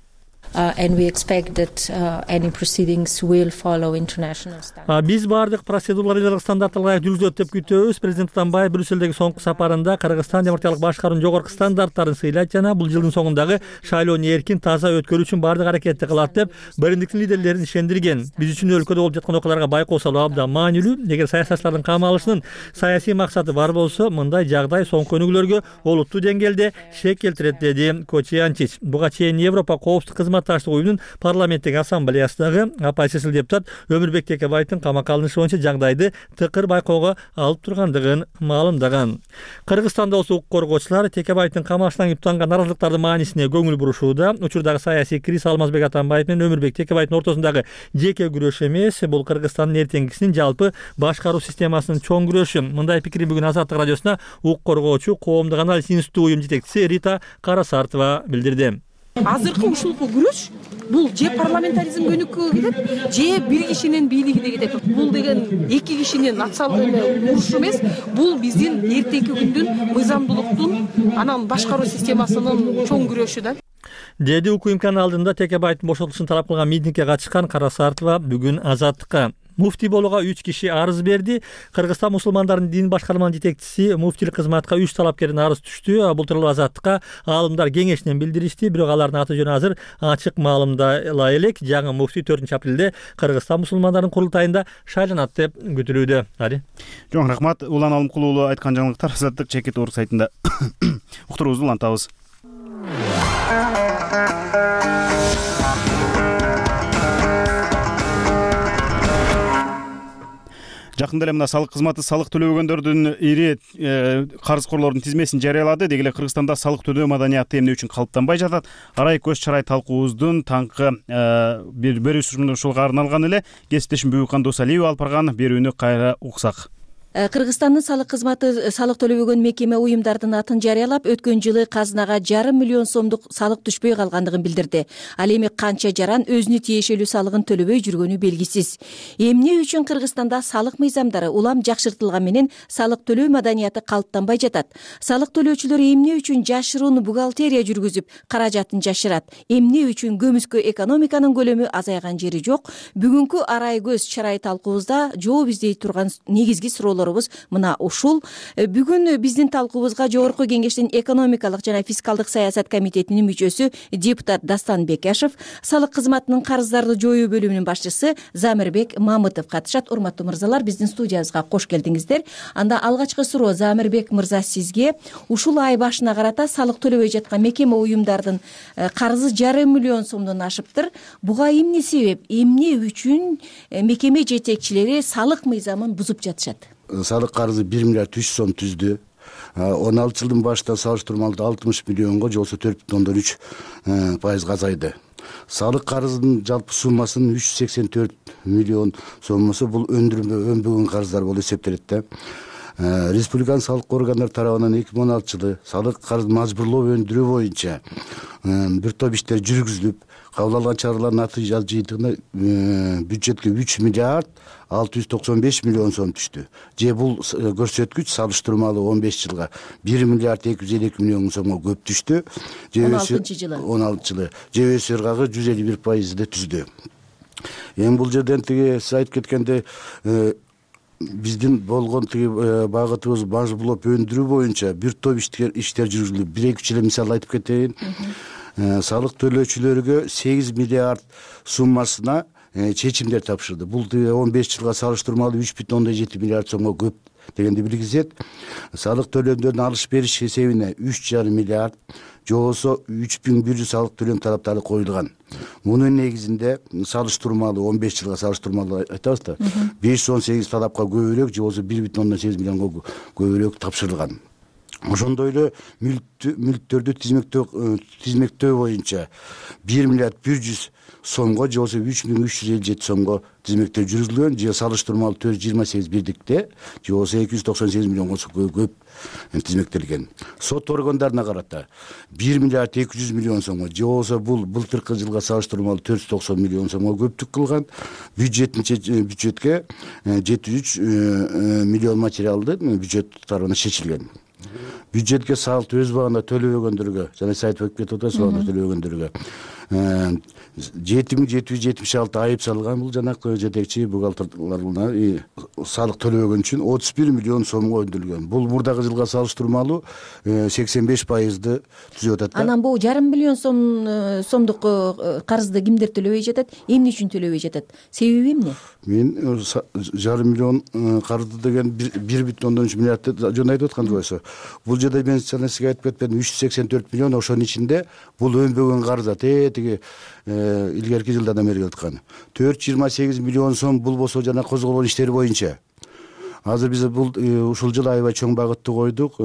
Uh, and we expect that uh, any proceedings will follow international standards. Биз бардык процедуралар элдик стандарттарга ылайык жүргүзүлөт деп күтөбүз. Президент Атамбаев Брюссельдеги соңку сапарында Кыргызстан демократиялык башкаруунун жогорку стандарттарын сыйлайт жана бул жылдын соңундагы шайлоону эркин, таза өткөрүү үчүн бардык аракетти кылат деп биримдиктин лидерлерин ишендирген. Биз үчүн өлкөдө болуп жаткан окуяларга байкоо салуу абдан маанилүү. Эгер саясатчылардын камалышынын саясий максаты бар болсо, мындай жагдай соңку өнүгүүлөргө олуттуу деңгээлде шек келтирет, деди Кочианчич. Буга чейин Европа коопсуздук кызматы кызматташтык уюмунун парламенттик ассамблеясындагы оппозициялык депутат Өмүрбек Текебаевдин камакка алынышы боюнча жагдайды тыкыр байкоого алып тургандыгын маалымдаган. Кыргызстанда болсо укук коргоочулар Текебаевдин камашынан юптанган наразылыктардын маанисине көңүл бурушууда. Учурдагы саясий криз Алмазбек Атамбаев менен Өмүрбек Текебаевдин ортосундагы жеке күрөш эмес, бул Кыргызстандын эртеңкисинин жалпы башкаруу системасынын чоң күрөшү. Мындай пикирин бүгүн Азаттык радиосуна укук коргоочу Коомдук анализ институту уюм жетекчиси Рита Карасартова билдирди. Азыркы ушул күрөш бул же парламентаризм көнүккө кетет, же бир кишинин бийлигине кетет. Бул деген эки кишинин урушу эмес, бул биздин эртеңки күндүн мыйзамдуулуктун, анан башкаруу системасынын чоң күрөшү да. Деди укук имканы алдында Текебаевдин бошотулушун талап кылган митингге катышкан Карасартова бүгүн Азаттыкка. Муфтий болууга үч киши арыз берди. Кыргызстан мусулмандарынын дин башкарманын жетекчиси муфтийлик кызматка үч талапкердин арыз түштү. Бул тууралуу Азаттыкка аалымдар кеңешинен билдиришти, бирок алардын аты жөнү азыр ачык маалымдала элек. Жаңы муфтий төртүнчү апрелде Кыргызстан мусулмандарынын курултайында шайланат деп күтүлүүдө. Ари. Жоң рахмат. Улан Алымкулуу уулу айткан жаңылыктар Азаттык чекит орг сайтында уктуруубузду улантабыз. Жакында эле мына салык кызматы салык төлөбөгөндөрдүн ири карызкорлордун тизмесин жарыялады. Деги эле Кыргызстанда салык төлөө маданияты эмне үчүн калыптанбай жатат? Арай көз чарай талкуубуздун таңкы бир бөлүшү ушулга арналган эле. Кесиптешим Бүгүкан Досалиева алып барган берүүнү кайра уксак. Кыргызстандын салык кызматы салык төлөбөгөн мекеме уюмдардын атын жарыялап, өткөн жылы казынага жарым миллион сомдук салык түшпөй калгандыгын билдирди. Ал эми канча жаран өзүнө тиешелүү салыгын төлөбөй жүргөнү белгисиз. Эмне үчүн Кыргызстанда салык мыйзамдары улам жакшыртылган менен салык төлөө маданияты калыптанбай жатат? Салык төлөөчүлөр эмне үчүн жашыруун бухгалтерия жүргүзүп, каражатын жашырат? Эмне үчүн көмүскө экономиканын көлөмү азайган жери жок? Бүгүнкү арай көз чарай талкуубузда жооп издей турган негизги суроолор мына ушул. Бүгүн биздин талкуубузга Жогорку Кеңештин экономикалык жана фискалдык саясат комитетинин мүчөсү депутат Дастан Бекашев, салык кызматынын карыздарды жоюу бөлүмүнүн башчысы Замирбек Мамытов катышат. Урматтуу мырзалар, биздин студиябызга кош келдиңиздер. Анда алгачкы суроо Замирбек мырза сизге. Ушул ай башына карата салык төлөбөй жаткан мекеме уюмдардын карызы жарым миллион сомдон ашыптыр. Буга эмне себеп? Эмне үчүн мекеме жетекчилери салык мыйзамын бузуп жатышат? Салык карызы бир миллиард үч сом түздү. он алты жылдын башында салыштырмалуу алтымыш миллионго, же болбосо төрт бүтүн ондон үч пайызга азайды. Салык карызынын жалпы суммасынын үч жүз сексен төрт миллион соммусу бул өнбөгөн карыздар болуп эсептелет да. Республиканын салык органдары тарабынан эки миң он алтынчы жылы салык карызын мажбурлоо өндүрүү боюнча бир топ иштер жүргүзүлүп, кабыл алган чаралардын натыйжа жыйынтыгында бюджетке үч миллиард алты жүз токсон беш миллион сом түштү. Же бул көрсөткүч салыштырмалуу он беш жылга бир миллиард эки жүз элүү эки миллион сомго көп түштү. он алтынчы жылы. он алтынчы жылы. Же өсүү ыргагы жүз элүү бир пайызды түздү. Эми бул жерден тиги сиз айтып кеткенде биздин болгон тиги багытыбыз мажбурлоп өндүрүү боюнча бир топ иштер иштер жүргүзүлүп, бир эки үч эле мисал айтып кетейин. Салык төлөөчүлөргө сегиз миллиард суммасына чечимдер тапшырды. Бул он беш жылга салыштырмалуу үч бүтүн ондон жети миллиард сомго көп дегенди билгизет. Салык төлөмдөрүнүн алыш бериш эсебине үч жарым миллиард, же болбосо үч миң бир жүз салык төлөм талаптары коюлган. Мунун негизинде салыштырмалуу он беш жылга салыштырмалуу айтабыз да, беш жүз он сегиз талапка көбүрөөк, же болбосо бир бүтүн ондон сегиз миллионго көбүрөөк тапшырылган. Ошондой эле мүлктөрдү тизмектөө тизмектөө боюнча бир миллиард бир жүз сомго, же болбосо үч миң үч жүз элүү жети сомго тизмектөө жүргүзүлгөн, же салыштырмалуу төрт жүз жыйырма сегиз бирдикте, же болбосо эки жүз токсон сегиз миллионго көп тизмектелген. Сот органдарына карата бир миллиард эки жүз миллион сомго, же болбосо бул былтыркы жылга салыштырмалуу төрт жүз токсон миллион сомго көптүк кылган. Бюджеттин бюджетке жети жүз үч миллион материалды бюджет тарабынан чечилген. Бюджетке салык өз убагында төлөбөгөндөргө, жана сиз айтып кетип атасыз, төлөбөгөндөргө жети миң жети жүз жетимиш алты айып салган. Бул жанакы жетекчи бухгалтерларына салык төлөбөгөн үчүн отуз бир миллион сомго өндүрүлгөн. Бул мурдагы жылга салыштырмалуу сексен беш пайызды түзүп атат. Анан бул жарым миллион сом сомдук карызды кимдер төлөбөй жатат? Эмне үчүн төлөбөй жатат? Себеби эмне? Мен жарым миллион карызды деген бир бүтүн ондон үч миллиардты жөн айтып аткан болсо, бул жерде мен сизге айтып кетпедим, үч жүз сексен төрт миллион, ошонун ичинде бул өнбөгөн карыз, тиги илгерки жылдардан бери келе аткан. төрт жүз жыйырма сегиз миллион сом бул болсо жана козголгон иштер боюнча. Азыр биз бул ушул жылы аябай чоң багытты койдук.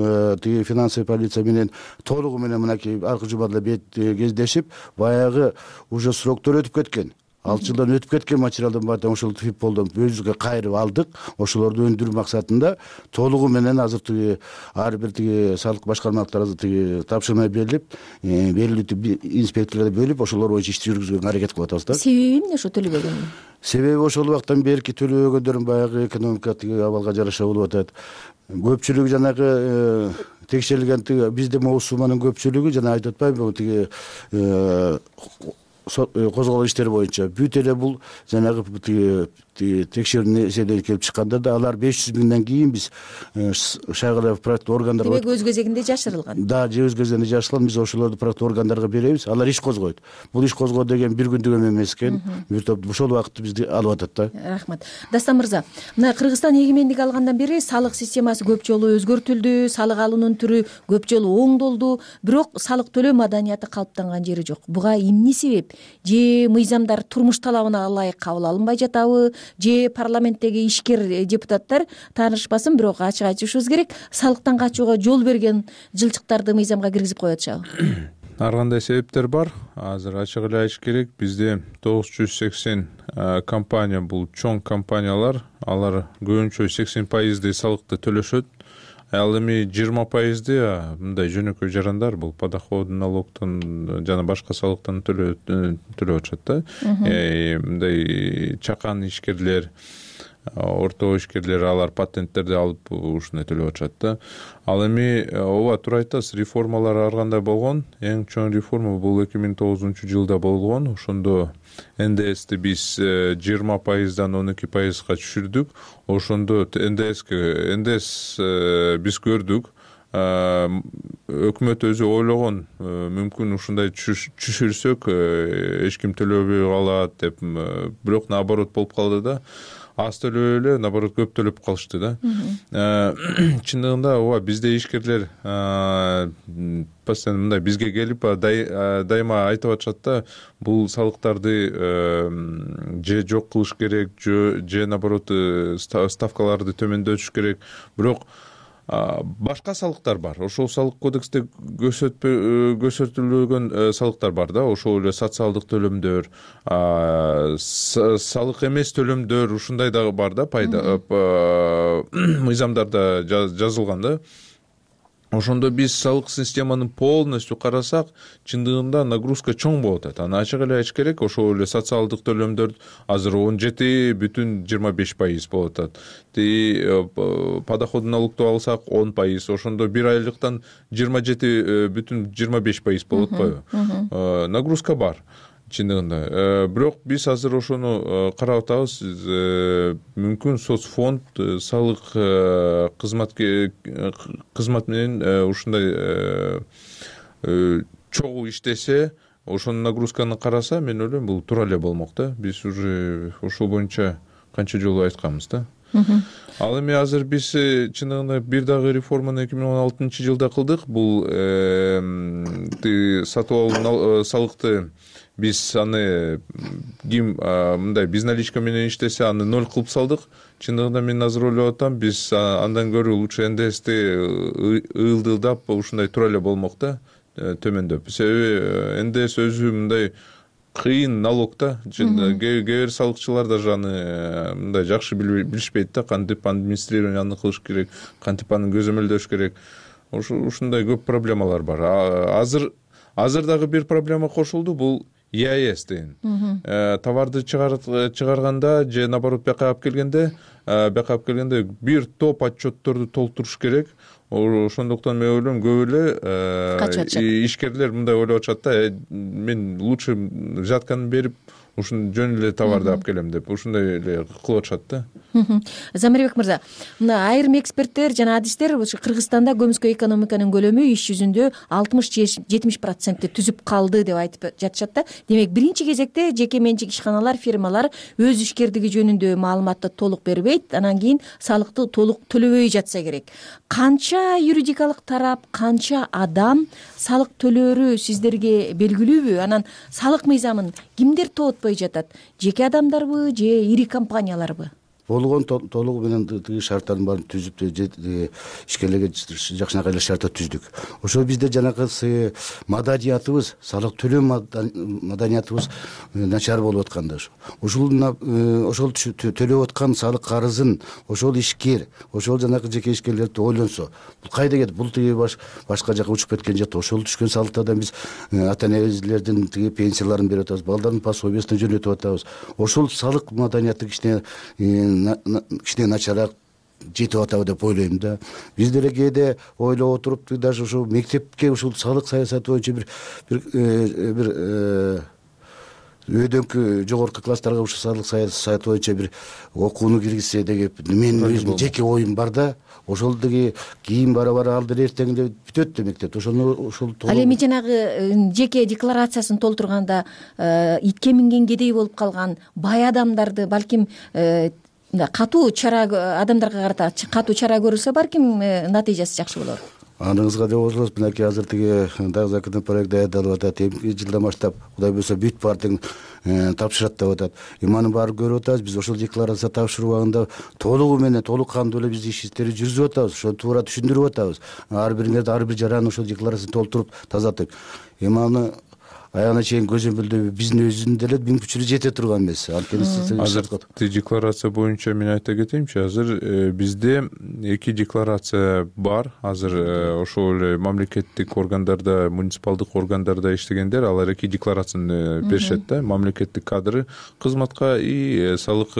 Тиги финансовый полиция менен толугу менен мынакей аркы жумада бет кездешип, баягы уже сроктор өтүп кеткен. алты жылдан өтүп кеткен материалдын баарын ошол фипполдон өзүбүзгө кайрып алдык. Ошолорду өндүрүү максатында толугу менен азыр тиги ар бир тиги салык башкармалыктары тиги тапшырма берилип, берилип инспекторлорго бөлүп, ошолор боюнча иш жүргүзгөнгө аракет кылып атабыз да. Себеби эмне ошо төлөбөгөн? Себеби ошол убактан берки төлөбөгөндөрдүн баягы экономика тиги абалга жараша болуп атат. Көпчүлүгү жанагы текшерилген тиги бизде могу сумманын көпчүлүгү жана айтып атпайбы тиги козголгон иштер боюнча бүт эле бул жанагы текшерүүнүн эсебинен келип чыкканда да алар беш жүз миңден кийин биз шайлоо проекттик органдарга демек өз кезегинде жашырылган. Да, же өз кезегинде жашырылган. Биз ошолорду проекттик органдарга беребиз. Алар иш козгойт. Бул иш козгоо деген бир күндүк эме эмес экен. Бир топ ошол убакытты бизди алып атат да. Рахмат. Дастан мырза, мына Кыргызстан эгемендик алгандан бери салык системасы көп жолу өзгөртүлдү, салык алуунун түрү көп жолу оңдолду, бирок салык төлөө маданияты калыптанган жери жок. Буга эмне себеп? Же мыйзамдар турмуш талабына ылайык кабыл алынбай жатабы? Же парламенттеги ишкер депутаттар таанышпасын, бирок ачык айтышыбыз керек, салыктан качууга жол берген жылчыктарды мыйзамга киргизип коюп атышабы? Ар кандай себептер бар. Азыр ачык эле айтыш керек, бизде тогуз жүз сексен компания, бул чоң компаниялар, алар көбүнчө сексен пайыздей салыкты төлөшөт. Ал эми жыйырма пайызды мындай жөнөкөй жарандар, бул подоходный налогтон жана башка салыктан төлөп атышат да. Мындай чакан ишкерлер, орто ишкерлер, алар патенттерди алып ушундай төлөп атышат да. Ал эми ооба туура айтасыз, реформалар ар кандай болгон. Эң чоң реформа бул эки миң тогузунчу жылда болгон. Ошондо эн дэ эсти биз жыйырма пайыздан он эки пайызга түшүрдүк. Ошондо эн дэ эске эн дэ эс биз көрдүк. Өкмөт өзү ойлогон, мүмкүн ушундай түшүрсөк эч ким төлөбөй калат деп, бирок наоборот болуп калды да. Аз төлөбөй эле, наоборот көп төлөп калышты да. Чындыгында ооба бизде ишкерлер постоянно мындай бизге келип дайыма айтып атышат да, бул салыктарды же жок кылыш керек, же наоборот ставкаларды төмөндөтүш керек. Бирок башка салыктар бар. Ошол салык кодексте көрсөтүлгөн салыктар бар да. Ошол эле социалдык төлөмдөр, салык эмес төлөмдөр, ушундай дагы бар да, пайда мыйзамдарда жазылган да. Ошондо биз салык системаны полностью карасак, чындыгында нагрузка чоң болуп атат. Аны ачык эле айтыш керек, ошол эле социалдык төлөмдөр азыр он жети бүтүн жыйырма беш пайыз болуп атат. Ти подоходный налогду алсак он пайыз, ошондо бир айлыктан жыйырма жети бүтүн жыйырма беш пайыз болуп атпайбы? Нагрузка бар. Чындыгында. Бирок биз азыр ошону карап атабыз. Мүмкүн соцфонд салык кызмат кызмат менен ушундай чогуу иштесе, ошонун нагрузканы караса, мен ойлойм бул туура эле болмок да. Биз уже ошол боюнча канча жолу айтканбыз да. Ал эми азыр биз чындыгында бир дагы реформаны эки миң он алтынчы жылда кылдык. Бул сатып алуу салыкты биз аны ким мындай безналичка менен иштесе, аны ноль кылып салдык. Чындыгында мен азыр ойлоп атам, биз андан көрө лучше эн дэ эсти ылдылдап ушундай туура эле болмок да, төмөндөп. Себеби эн дэ эс өзү мындай кыйын налог да. Кээ бир салыкчылар даже аны мындай жакшы билишпейт да, кантип администрированияны кылыш керек, кантип аны көзөмөлдөш керек. Ушундай көп проблемалар бар. Азыр азыр дагы бир проблема кошулду, бул и а эс деген. Товарды чыгарганда же наоборот бияка алып келгенде, бияка алып келгенде бир топ отчетторду толтуруш керек. Ошондуктан мен ойлойм, көп эле ишкерлер мындай ойлоп атышат да, мен лучше взятканы берип ушун жөн эле товарды алып келем деп ушундай эле кылып атышат да. Замирбек мырза, мына айрым эксперттер жана адистер Кыргызстанда көмүскө экономиканын көлөмү иш жүзүндө алтымыш жетимиш процентти түзүп калды деп айтып жатышат да. Демек биринчи кезекте жеке менчик ишканалар, фирмалар өз ишкердиги жөнүндө маалыматты толук бербейт, анан кийин салыкты толук төлөбөй жатса керек. Канча юридикалык тарап, канча адам салык төлөөрү сиздерге белгилүүбү? Анан салык мыйзамын кимдер тоотпой жатат? Жеке адамдарбы же ири компанияларбы? Болгон толугу менен тиги шарттардын баарын түзүп ишкерлерге жакшынакай эле шартта түздүк. Ошол бизде жанакы маданиятыбыз, салык төлөө маданиятыбыз начар болуп атканда ошо. Ошол ошол төлөп аткан салык карызын ошол ишкер, ошол жанакы жеке ишкерлер ойлонсо, бул кайда кетти? Бул тиги башка жака учуп кеткен жакта. Ошол түшкөн салыктардан биз ата-энелердин тиги пенсияларын берип атабыз, балдардын пособиясын жөнөтүп атабыз. Ошол салык маданияты кичине кичине начараак жетип атабы деп ойлойм да. Биз деле кээде ойлоп отуруп, даже ушул мектепке ушул салык саясаты боюнча бир бир бир өйдөңкү жогорку класстарга ушул салык саясаты боюнча бир окууну киргизсе деп менин өзүмдүн жеке оюм бар да. Ошол деги кийин бара-бара ал деле эртеңде бүтөт демектет. Ошону ошол Ал эми жанагы жеке декларациясын толтурганда итке минген кедей болуп калган бай адамдарды балким катуу чара адамдарга карата катуу чара көрүлсө балким натыйжасы жакшы болор. Аныңызга деп отурабыз. Мынакей азыр тиги дагы законный проект даярдалып атат. Эмки жылдан баштап Кудай буйрса бүт партияң тапшырат деп атат. Эми анын баарын көрүп атабыз. Биз ошол декларация тапшыруу убагында толугу менен, толук кандуу эле биз иш иштерди жүргүзүп атабыз. Ошону туура түшүндүрүп атабыз. Ар бириңерди ар бир жараны ошол декларацияны толтуруп тазартып. Эми аны аягына чейин көзөмөлдөп биздин өзүнүн деле мүмкүнчүлүгү жете турган эмес. Азыр декларация боюнча мен айта кетейинчи, азыр бизде эки декларация бар. Азыр ошол эле мамлекеттик органдарда, муниципалдык органдарда иштегендер алар эки декларацияны беришет да. Мамлекеттик кадры кызматка и салык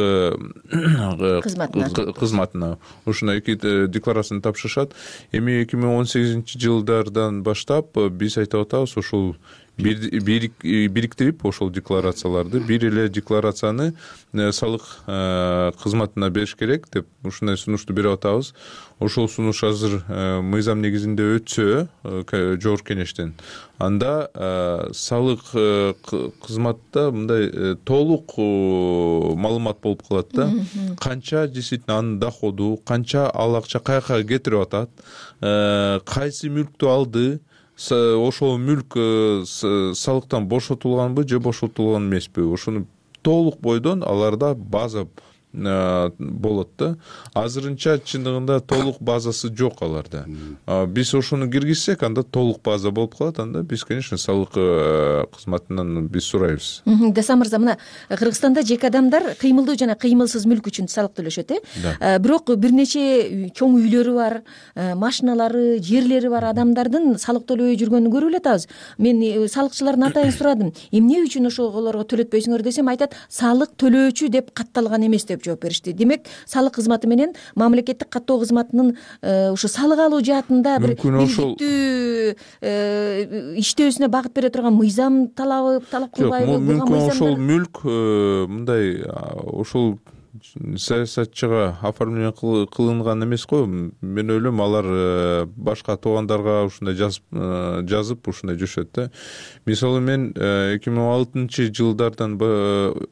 кызматына ушундай эки декларацияны тапшырышат. Эми эки миң он сегизинчи жылдардан баштап биз айтып атабыз, ошол бириктирип ошол декларацияларды бир эле декларацияны салык кызматына бериш керек деп ушундай сунушту берип атабыз. Ошол сунуш азыр мыйзам негизинде өтсө жогорку кеңештен, анда салык кызматта мындай толук маалымат болуп калат да. Канча действительно анын доходу, канча ал акча каяка кетирип атат, кайсы мүлктү алды, ошол мүлк салыктан бошотулганбы же бошотулган эмеспи, ошону толук бойдон аларда база болот да. Азырынча чындыгында толук базасы жок аларда. Биз ошону киргизсек, анда толук база болуп калат. Анда биз, конечно, салык кызматынан биз сурайбыз. Дасан мырза, мына Кыргызстанда жеке адамдар кыймылдуу жана кыймылсыз мүлк үчүн салык төлөшөт, э? Бирок бир нече чоң үйлөрү бар, машиналары, жерлери бар адамдардын салык төлөбөй жүргөнүн көрүп эле атабыз. Мен салыкчылардан атайын сурадым. Эмне үчүн ошолорго төлөтпөйсүңөр десем, айтат, салык төлөөчү деп катталган эмес деп жооп беришти. Демек, салык кызматы менен мамлекеттик каттоо кызматынын ушу салык алуу жаатында бир бирдиктүү иштөөсүнө багыт бере турган мыйзам талабы талап кылбайбы? Мүмкүн ошол мүлк мындай ошол саясатчыга оформление кылынган эмес го. Мен ойлойм, алар башка туугандарга ушундай жазып жазып ушундай жүрүшөт да. Мисалы, мен эки миң он алтынчы жылдардан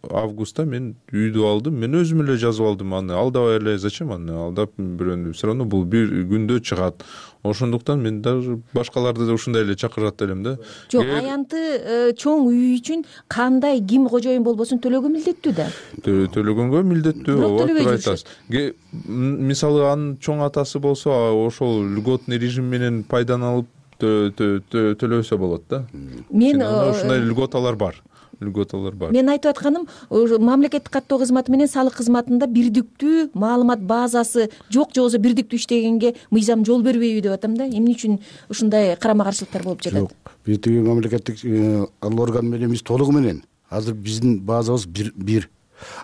августта мен үйдү алдым. Мен өзүм эле жазып алдым аны. Алдабай эле зачем аны алдап бирөөнү? Все равно бул бир күндө чыгат. Ошондуктан мен даже башкаларды да ушундай эле чакырат элем да. Жок, аянты чоң үй үчүн кандай ким кожоюн болбосун төлөгө милдеттүү да. Төлөгөнгө милдеттүү, ооба, айтасыз. Мисалы, анын чоң атасы болсо, ошол льготный режим менен пайдаланып төлөсө болот да. Мен ушундай льготалар бар. Льготалар бар. Мен айтып атканым, мамлекеттик каттоо кызматы менен салык кызматында бирдиктүү маалымат базасы жок, же болбосо бирдиктүү иштегенге мыйзам жол бербейби деп атам да. Эмне үчүн ушундай карама-каршылыктар болуп жатат? Жок, бир тиги мамлекеттик орган менен биз толугу менен азыр биздин базабыз бир.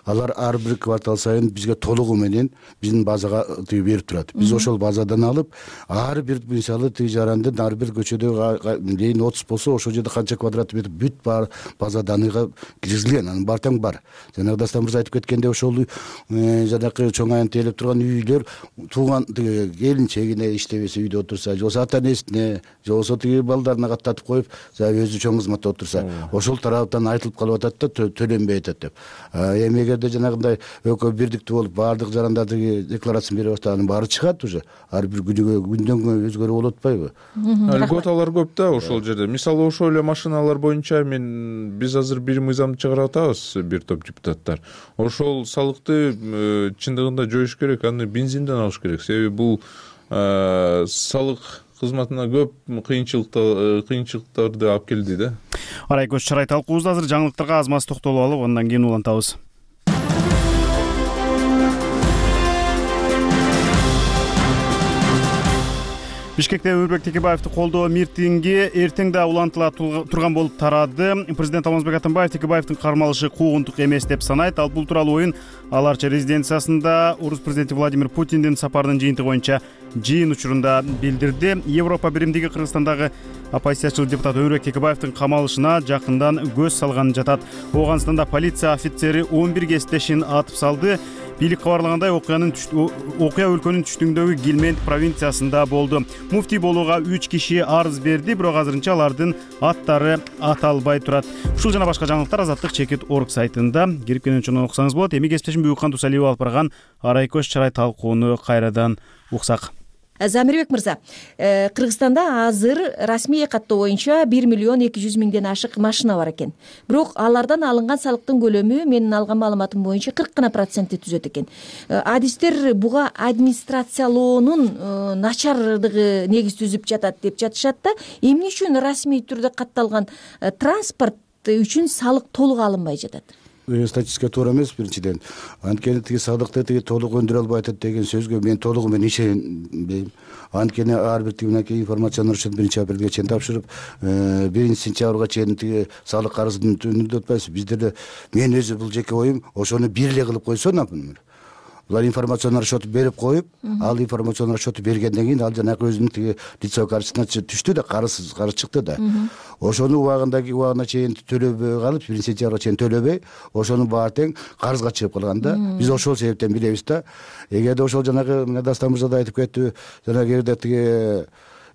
алар ар бир квартал сайын бизге толугу менен биздин базага тиги берип турат. Биз ошол базадан алып ар бир мисалы тиги жарандын ар бир көчөдө дейин отуз болсо ошол жерде канча квадрат метр бүт бар база данныйга киргизилген, анын баары тең бар. Жанагы Дастан мырза айтып кеткендей ошол жанакы чоң айын тейлеп турган үйлөр тууган тиги келинчегине иштебесе үйдө отурса, же болбосо ата энесине, же болбосо тиги балдарына каттатып коюп, өзү чоң кызматта отурса, ошол тараптан айтылып калып атат да төлөнбөй атат деп. Эми эгерде жанагындай экөө бирдиктүү болуп баардык жарандар тиги декларациясын берип атса, анын баары чыгат уже. Ар бир күнүгө күндөн күнгө өзгөрүп болуп атпайбы? Льготалар көп да ошол жерде. Мисалы ошол эле машиналар боюнча мен биз азыр бир мыйзамды чыгарып атабыз, бир топ депутаттар. Ошол салыкты чындыгында жоюш керек, аны бензинден алыш керек. Себеби бул салык кызматына көп кыйынчылыктарды алып келди да. Арайкөз чарай талкуубузда азыр жаңылыктарга аз маз токтолуп алып, андан кийин улантабыз. Бишкекте Өмүрбек Текебаевди колдоо митинги эртең да улантыла турган болуп тарады. Президент Алмазбек Атамбаев Текебаевдин кармалышы куугунтук эмес деп санайт. Ал бул тууралуу оюн Аларча резиденциясында Орус президенти Владимир Путиндин сапарынын жыйынтыгы боюнча жыйын учурунда билдирди. Европа биримдиги Кыргызстандагы оппозициячыл депутат Өмүрбек Текебаевдин камалышына жакындан көз салганы жатат. Оганстанда полиция офицери он бир кесиптешин атып салды. Бийлик кабарлагандай окуянын окуя өлкөнүн түштүгүндөгү Гилмент провинциясында болду. Муфтий болууга үч киши арыз берди, бирок азырынча алардын аттары аталбай турат. Ушул жана башка жаңылыктар Азаттык чекит точка орг сайтында кирип кенен окусаңыз болот. Эми кесиптешим Бүйүкхан Дусалиев алып барган Арайкөз чарай талкууну кайрадан уксак. Замирбек мырза, Кыргызстанда азыр расмий каттоо боюнча бир миллион эки жүз миңден ашык машина бар экен. Бирок алардан алынган салыктын көлөмү менин алган маалыматым боюнча кырк гана процентти түзөт экен. Адистер буга администрациялоонун начардыгы негиз түзүп жатат деп жатышат да. Эмне үчүн расмий түрдө катталган транспорт үчүн салык толук алынбай жатат? Статистика туура эмес биринчиден. Анткени тиги салыкты тиги толук өндүрө албай атат деген сөзгө мен толугу менен ишенбейм. Анткени ар бир тигинекей информациянын рұқсат биринчи апрелге чейин тапшырып, биринчи сентябрга чейин тиги салык карызын өндүрүп атпайсыз. Бизде мен өзү бул жеке оюм, ошону бир эле кылып койсо, например. Булар информацион расчету берип коюп, ал информацион расчету бергенден кийин ал жанагы өзүнүн тиги лицевой карточкасына түштү да, карыз карыз чыкты да. Ошону убагындагы убагына чейин төлөбөй калып, биринчи сентябрга чейин төлөбөй, ошонун баары тең карызга чыгып калган да. Биз ошол себептен билебиз да. Эгерде ошол жанагы Дастан мырза да айтып кетти, жанагы жерде тиги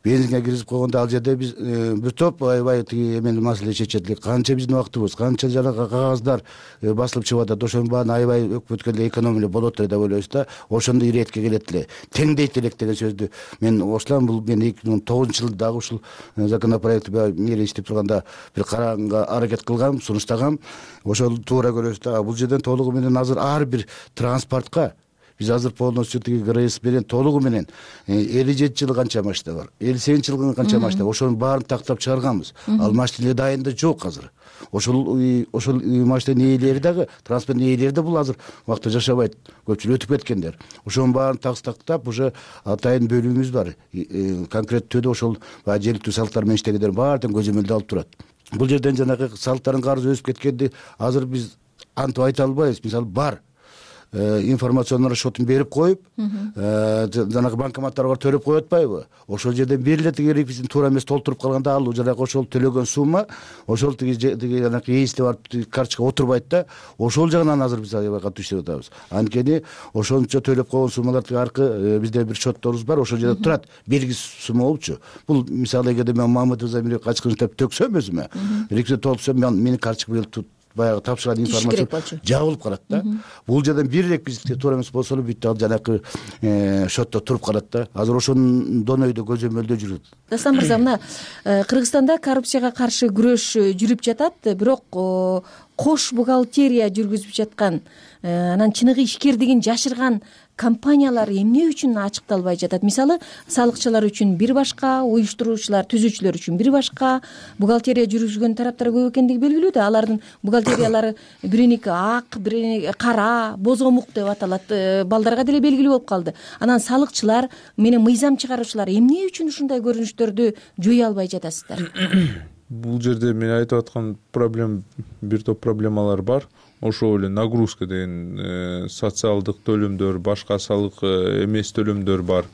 бензинге киргизип койгондо ал жерде биз бир топ аябай тиги эмени маселе чечет элек. Канча биздин убактыбыз, канча жанагы кагаздар басылып чыгып атат, ошонун баарын аябай өкмөткөндө экономия болот эле деп ойлойбуз да. Ошондо иретке келет эле. Теңдейт элек деген сөздү мен кошулам. Бул мен эки миң он тогузунчу жылы дагы ушул законопроектти мери иштеп турганда бир караганга аракет кылгам, сунуштагам. Ошол туура көрөбүз да. Бул жерден толугу менен азыр ар бир транспортко биз азыр полностью тиги ГРС менен толугу менен элүү жети жылы канча машина бар, элүү сегизинчи жылкы канча машина, ошонун баарын тактап чыгарганбыз. Ал машина дайында жок азыр. Ошол ошол машинанын ээлери дагы, транспорттун ээлери да бул азыр убакта жашабайт. Көпчүлүк өтүп кеткендер. Ошонун баарын тактап уже атайын бөлүмүбүз бар. Конкреттүү түрдө ошол жергиликтүү салыктар менен иштегендер баарын көзөмөлдө алып турат. Бул жерден жанагы салыктардын карызы өсүп кеткенди азыр биз антип айта албайбыз. Мисалы бар информацион расчетун берип коюп, жанагы банкоматтарга төлөп коюп атпайбы? Ошол жерден бир эле тиги реквизитин туура эмес толтуруп калганда ал жанагы ошол төлөгөн сумма, ошол тиги тиги жанагы ээсине барып карточкага отурбайт да. Ошол жагынан азыр биз аябай катуу иштеп атабыз. Анткени ошончо төлөп койгон суммалар тиги аркы бизде бир счетторубуз бар, ошол жерде турат. Белгисиз сумма болупчу. Бул мисалы эгерде мен Мамытов Замирбек качкын деп төксөм өзүмө, реквизит толтурсам, менин карточкам баягы тапшырган информация жабылып калат да. Бул жерден бир реквизитке туура эмес болсо эле бүт ал жанагы счетто туруп калат да. Азыр ошондон өйдө көзөмөлдөө жүрөт. Дастан мырза, мына Кыргызстанда коррупцияга каршы күрөш жүрүп жатат, бирок кош бухгалтерия жүргүзүп жаткан, анан чыныгы ишкердигин жашырган компаниялар эмне үчүн ачыкталбай жатат? Мисалы, салыкчылар үчүн бир башка, уюштуруучулар, түзүүчүлөр үчүн бир башка, бухгалтерия жүргүзгөн тараптар көп экендиги белгилүү да. Алардын бухгалтериялары бириники ак, бириники кара, бозомук деп аталат. Балдарга деле белгилүү болуп калды. Анан салыкчылар менен мыйзам чыгаруучулар эмне үчүн ушундай көрүнүштөрдү жое албай жатасыздар? Бул жерде мен айтып аткан проблема, бир топ проблемалар бар. ошол эле нагрузка деген социалдык төлөмдөр, башка салык эмес төлөмдөр бар.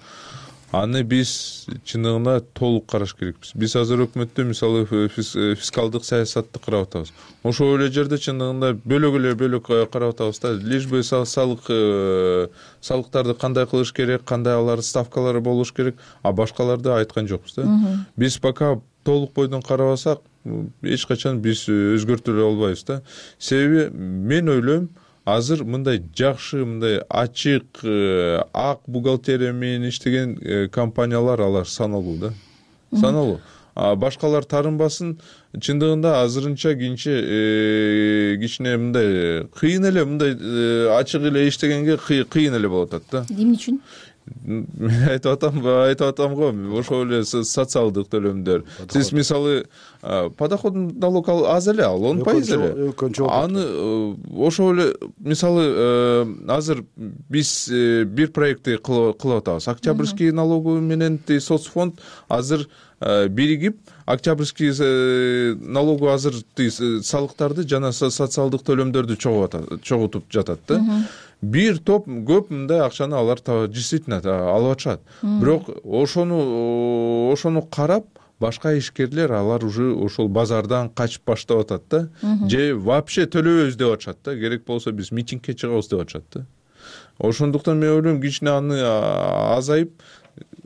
Аны биз чындыгында толук караш керекпиз. Биз азыр өкмөттө мисалы фискалдык саясатты карап атабыз. Ошол эле жерде чындыгында бөлөк эле бөлөк карап атабыз да. Лишь бы салык салыктарды кандай кылыш керек, кандай алар ставкалары болуш керек, а башкаларды айткан жокпуз да. Биз пока толук бойдон карабасак, эч качан биз өзгөртө албайбыз да. Себеби мен ойлойм, азыр мындай жакшы, мындай ачык, ак бухгалтерия менен иштеген компаниялар алар саналуу да. Саналуу. Башкалар тарынбасын, чындыгында азырынча кийинче кичине мындай кыйын эле, мындай ачык эле иштегенге кыйын эле болуп атат да. Эмне үчүн? Мен айтып атам, айтып атам го, ошол эле социалдык төлөмдөр. Сиз мисалы подоходный налог аз эле, ал он пайыз эле. Аны ошол эле мисалы азыр биз бир проектти кылып атабыз. Октябрьский налогу менен соцфонд азыр биригип, октябрьский налогу азыр салыктарды жана социалдык төлөмдөрдү чогултуп жатат да. Бир топ көп мындай акчаны алар действительно алып атышат. Бирок ошону ошону карап башка ишкерлер алар уже ошол базардан качып баштап атат да. Же вообще төлөбөйбүз деп атышат да. Керек болсо биз митингге чыгабыз деп атышат да. Ошондуктан мен ойлойм, кичине аны азайып,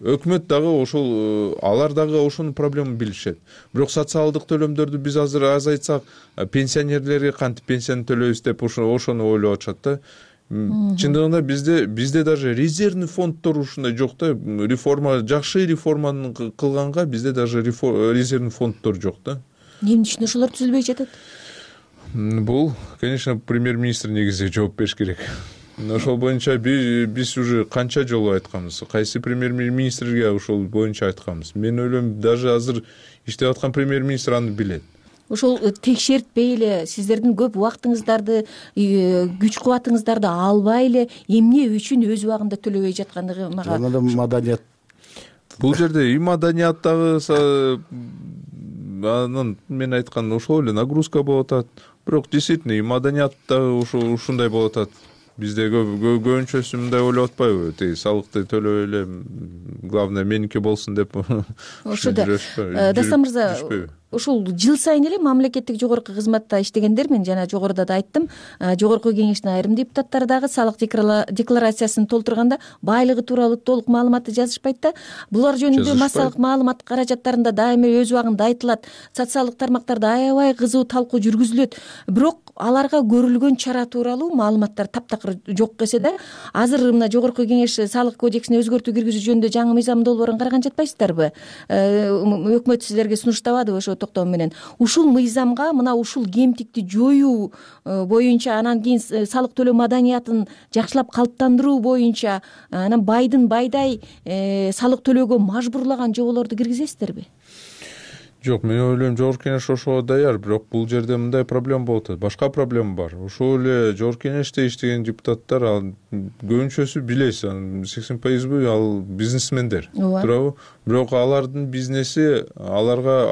өкмөт дагы ошол алар дагы ошонун проблемын билишет. Бирок социалдык төлөмдөрдү биз азыр азайтсак, пенсионерлерге кантип пенсияны төлөйбүз деп ошону ойлоп атышат да. Чындыгында бизде бизде даже резервный фонддор ушундай жок да. Реформа, жакшы реформаны кылганга бизде даже резервный фонддор жок да. Эмне үчүн ошолор түзүлбөй жатат? Бул, конечно, премьер-министр негизи жооп бериш керек. Ошол боюнча биз уже канча жолу айтканбыз. Кайсы премьер-министрге ошол боюнча айтканбыз. Мен ойлойм, даже азыр иштеп аткан премьер-министр аны билет. Ошол текшертпей эле, сиздердин көп убактыңыздарды, күч кубатыңыздарды албай эле эмне үчүн өз убагында төлөбөй жаткандыгы мага. Жана да маданият. Бул жерде и маданияттагы анын мен айткан ошол эле нагрузка болуп атат. Бирок действительно и маданияттагы ушундай болуп атат. Бизде көбүнчөсү мындай ойлоп атпайбы? Тиги салыкты төлөп эле, главное меники болсун деп. Ошода Дастан мырза, ушул жыл сайын эле мамлекеттик жогорку кызматта иштегендер, мен жана жогоруда да айттым, жогорку кеңештин айрым депутаттары дагы салык декларациясын толтурганда байлыгы тууралуу толук маалыматты жазышпайт да. Булар жөнүндө массалык маалымат каражаттарында дайыма өз убагында айтылат, социалдык тармактарда аябай кызуу талкуу жүргүзүлөт. Бирок аларга көрүлгөн чара тууралуу маалыматтар таптакыр жок эсе да. Азыр мына жогорку кеңеш салык кодексине өзгөртүү киргизүү жөнүндө жаңы мыйзам долбоорун караган жатпайсыздарбы? Өкмөт силерге сунуштабадыбы ошо токтоо менен? Ушул мыйзамга мына ушул кемтикти жоюу боюнча, анан кийин салык төлөө маданиятын жакшылап калыптандыруу боюнча, анан байдын байдай салык төлөөгө мажбурлаган жоболорду киргизесиздерби? Жок, мен ойлойм, жогорку кеңеш ошого даяр, бирок бул жерде мындай проблема болуп атат. Башка проблема бар. Ошол эле жогорку кеңеште иштеген депутаттар, ал көбүнчөсү билесиз, сексен пайызбы ал бизнесмендер. Туурабы? Бирок алардын бизнеси аларга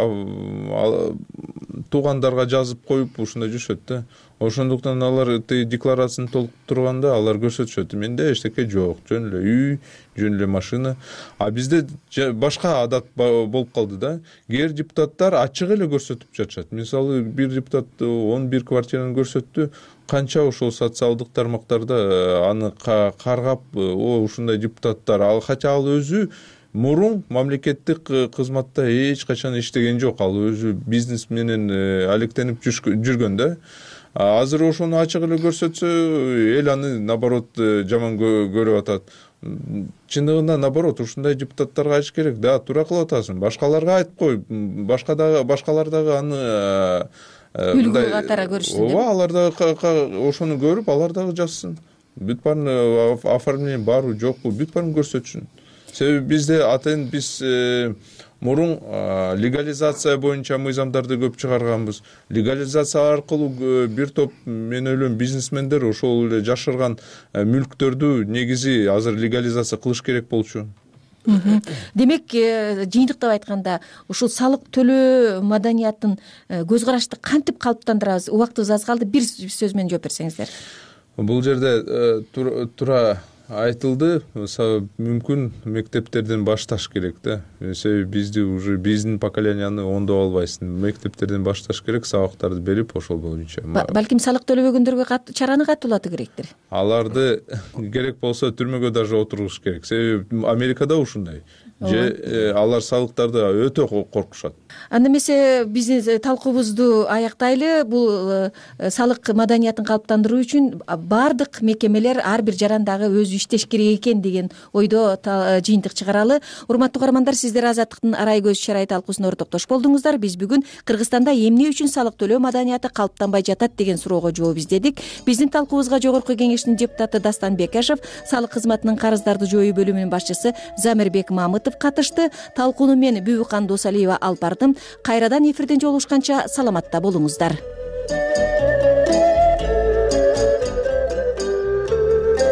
туугандарга жазып коюп ушундай жүрүшөт да. Ошондуктан алар декларацияны толтурганда алар көрсөтүшөт. Менде эчтеке жок, жөн эле үй, жөн эле машина. А бизде башка адат болуп калды да. Кээ депутаттар ачык эле көрсөтүп жатышат. Мисалы, бир депутат он бир квартираны көрсөттү, канча ошол социалдык тармактарда аны каргап, о ушундай депутаттар, ал хотя ал өзү мурун мамлекеттик кызматта эч качан иштеген жок. Ал өзү бизнес менен алектенип жүргөн да. Азыр ошону ачык эле көрсөтсө, эл аны наоборот жаман көрүп атат. Чындыгында наоборот, ушундай депутаттарга айтыш керек. Да, туура кылып атасың. Башкаларга айтып кой. Башка дагы башкалар дагы аны үлгү катары көрүшсүн деп. Ооба, алар дагы ошону көрүп, алар дагы жазсын. Бүт баарын оформление барбы, жокпу, бүт баарын көрсөтсүн. Себеби бизде атайын биз мурун легализация боюнча мыйзамдарды көп чыгарганбыз. Легализация аркылуу бир топ, мен ойлойм, бизнесмендер ошол эле жашырган мүлктөрдү негизи азыр легализация кылыш керек болчу. демек жыйынтыктап айтканда ушул салык төлөө маданиятын көз карашты кантип калыптандырабыз? Убактыбыз аз калды, бир сөз менен жооп берсеңиздер. Бул жерде туура айтылды, мүмкүн мектептерден башташ керек да. Себеби бизди уже биздин поколенияны оңдоп албайсың. Мектептерден башташ керек, сабактарды берип ошол боюнча. Балким салык төлөбөгөндөргө чараны катуулатуу керектир. Аларды керек болсо түрмөгө даже отургуш керек. Себеби Америкада ушундай. Же алар салыктарды өтө коркушат. Анда эмесе биздин талкуубузду аяктайлы. Бул салык маданиятын калыптандыруу үчүн баардык мекемелер ар бир жарандагы өзү иштеш керек экен деген ойдо жыйынтык чыгаралы. Урматтуу каармандар, сиздер Азаттыктын арай көз чарай талкуусуна ортоктош болдуңуздар. Биз бүгүн Кыргызстанда эмне үчүн салык төлөө маданияты калыптанбай жатат деген суроого жооп издедик. Биздин талкуубузга Жогорку Кеңештин депутаты Дастан Бекашев, салык кызматынын карыздарды жоюу бөлүмүнүн башчысы Замирбек Мамытов катышты. Талкууну мен Бүбүкан Досалиева алып бардым. Кайрадан эфирден жолугушканча саламатта болуңуздар.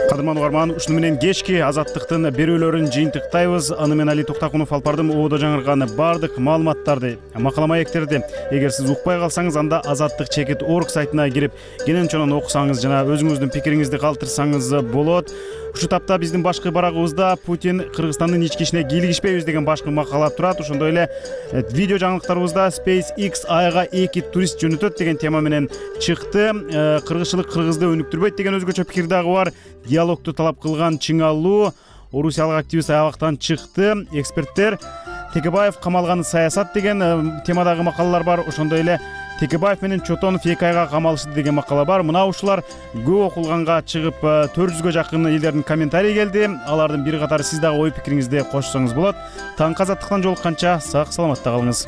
Кадырман угарман, ушуну менен кечки Азаттыктын берүүлөрүн жыйынтыктайбыз. Аны мен Али Токтакунов алып бардым. Оодо жаңырган баардык маалыматтарды, макала маектерди эгер сиз укпай калсаңыз, анда азаттык чекит орг сайтына кирип кенен чонон окусаңыз жана өзүңүздүн пикириңизди калтырсаңыз болот. Ушу тапта биздин башкы барагыбызда Путин Кыргызстандын ички ишине кийлигишпейбиз деген башкы макала турат. Ошондой эле видео жаңылыктарыбызда SpaceX айга эки турист жөнөтөт деген тема менен чыкты. Кыргызчылык кыргызды өнүктүрбөйт деген өзгөчө пикир дагы бар. Диалогду талап кылган Чыңалуу орусиялык активист аябактан чыкты. Эксперттер Текебаев камалган саясат деген темадагы макалалар бар. Ошондой эле Текебаев менен Чотонов эки айга камалышты деген макала бар. Мына ушулар көп окулганга чыгып төрт жүзгө жакын элдердин комментарий келди. Алардын бир катары сиз дагы ой пикириңизди кошсоңуз болот. Таңкы Азаттыктан жолукканча сак саламатта калыңыз.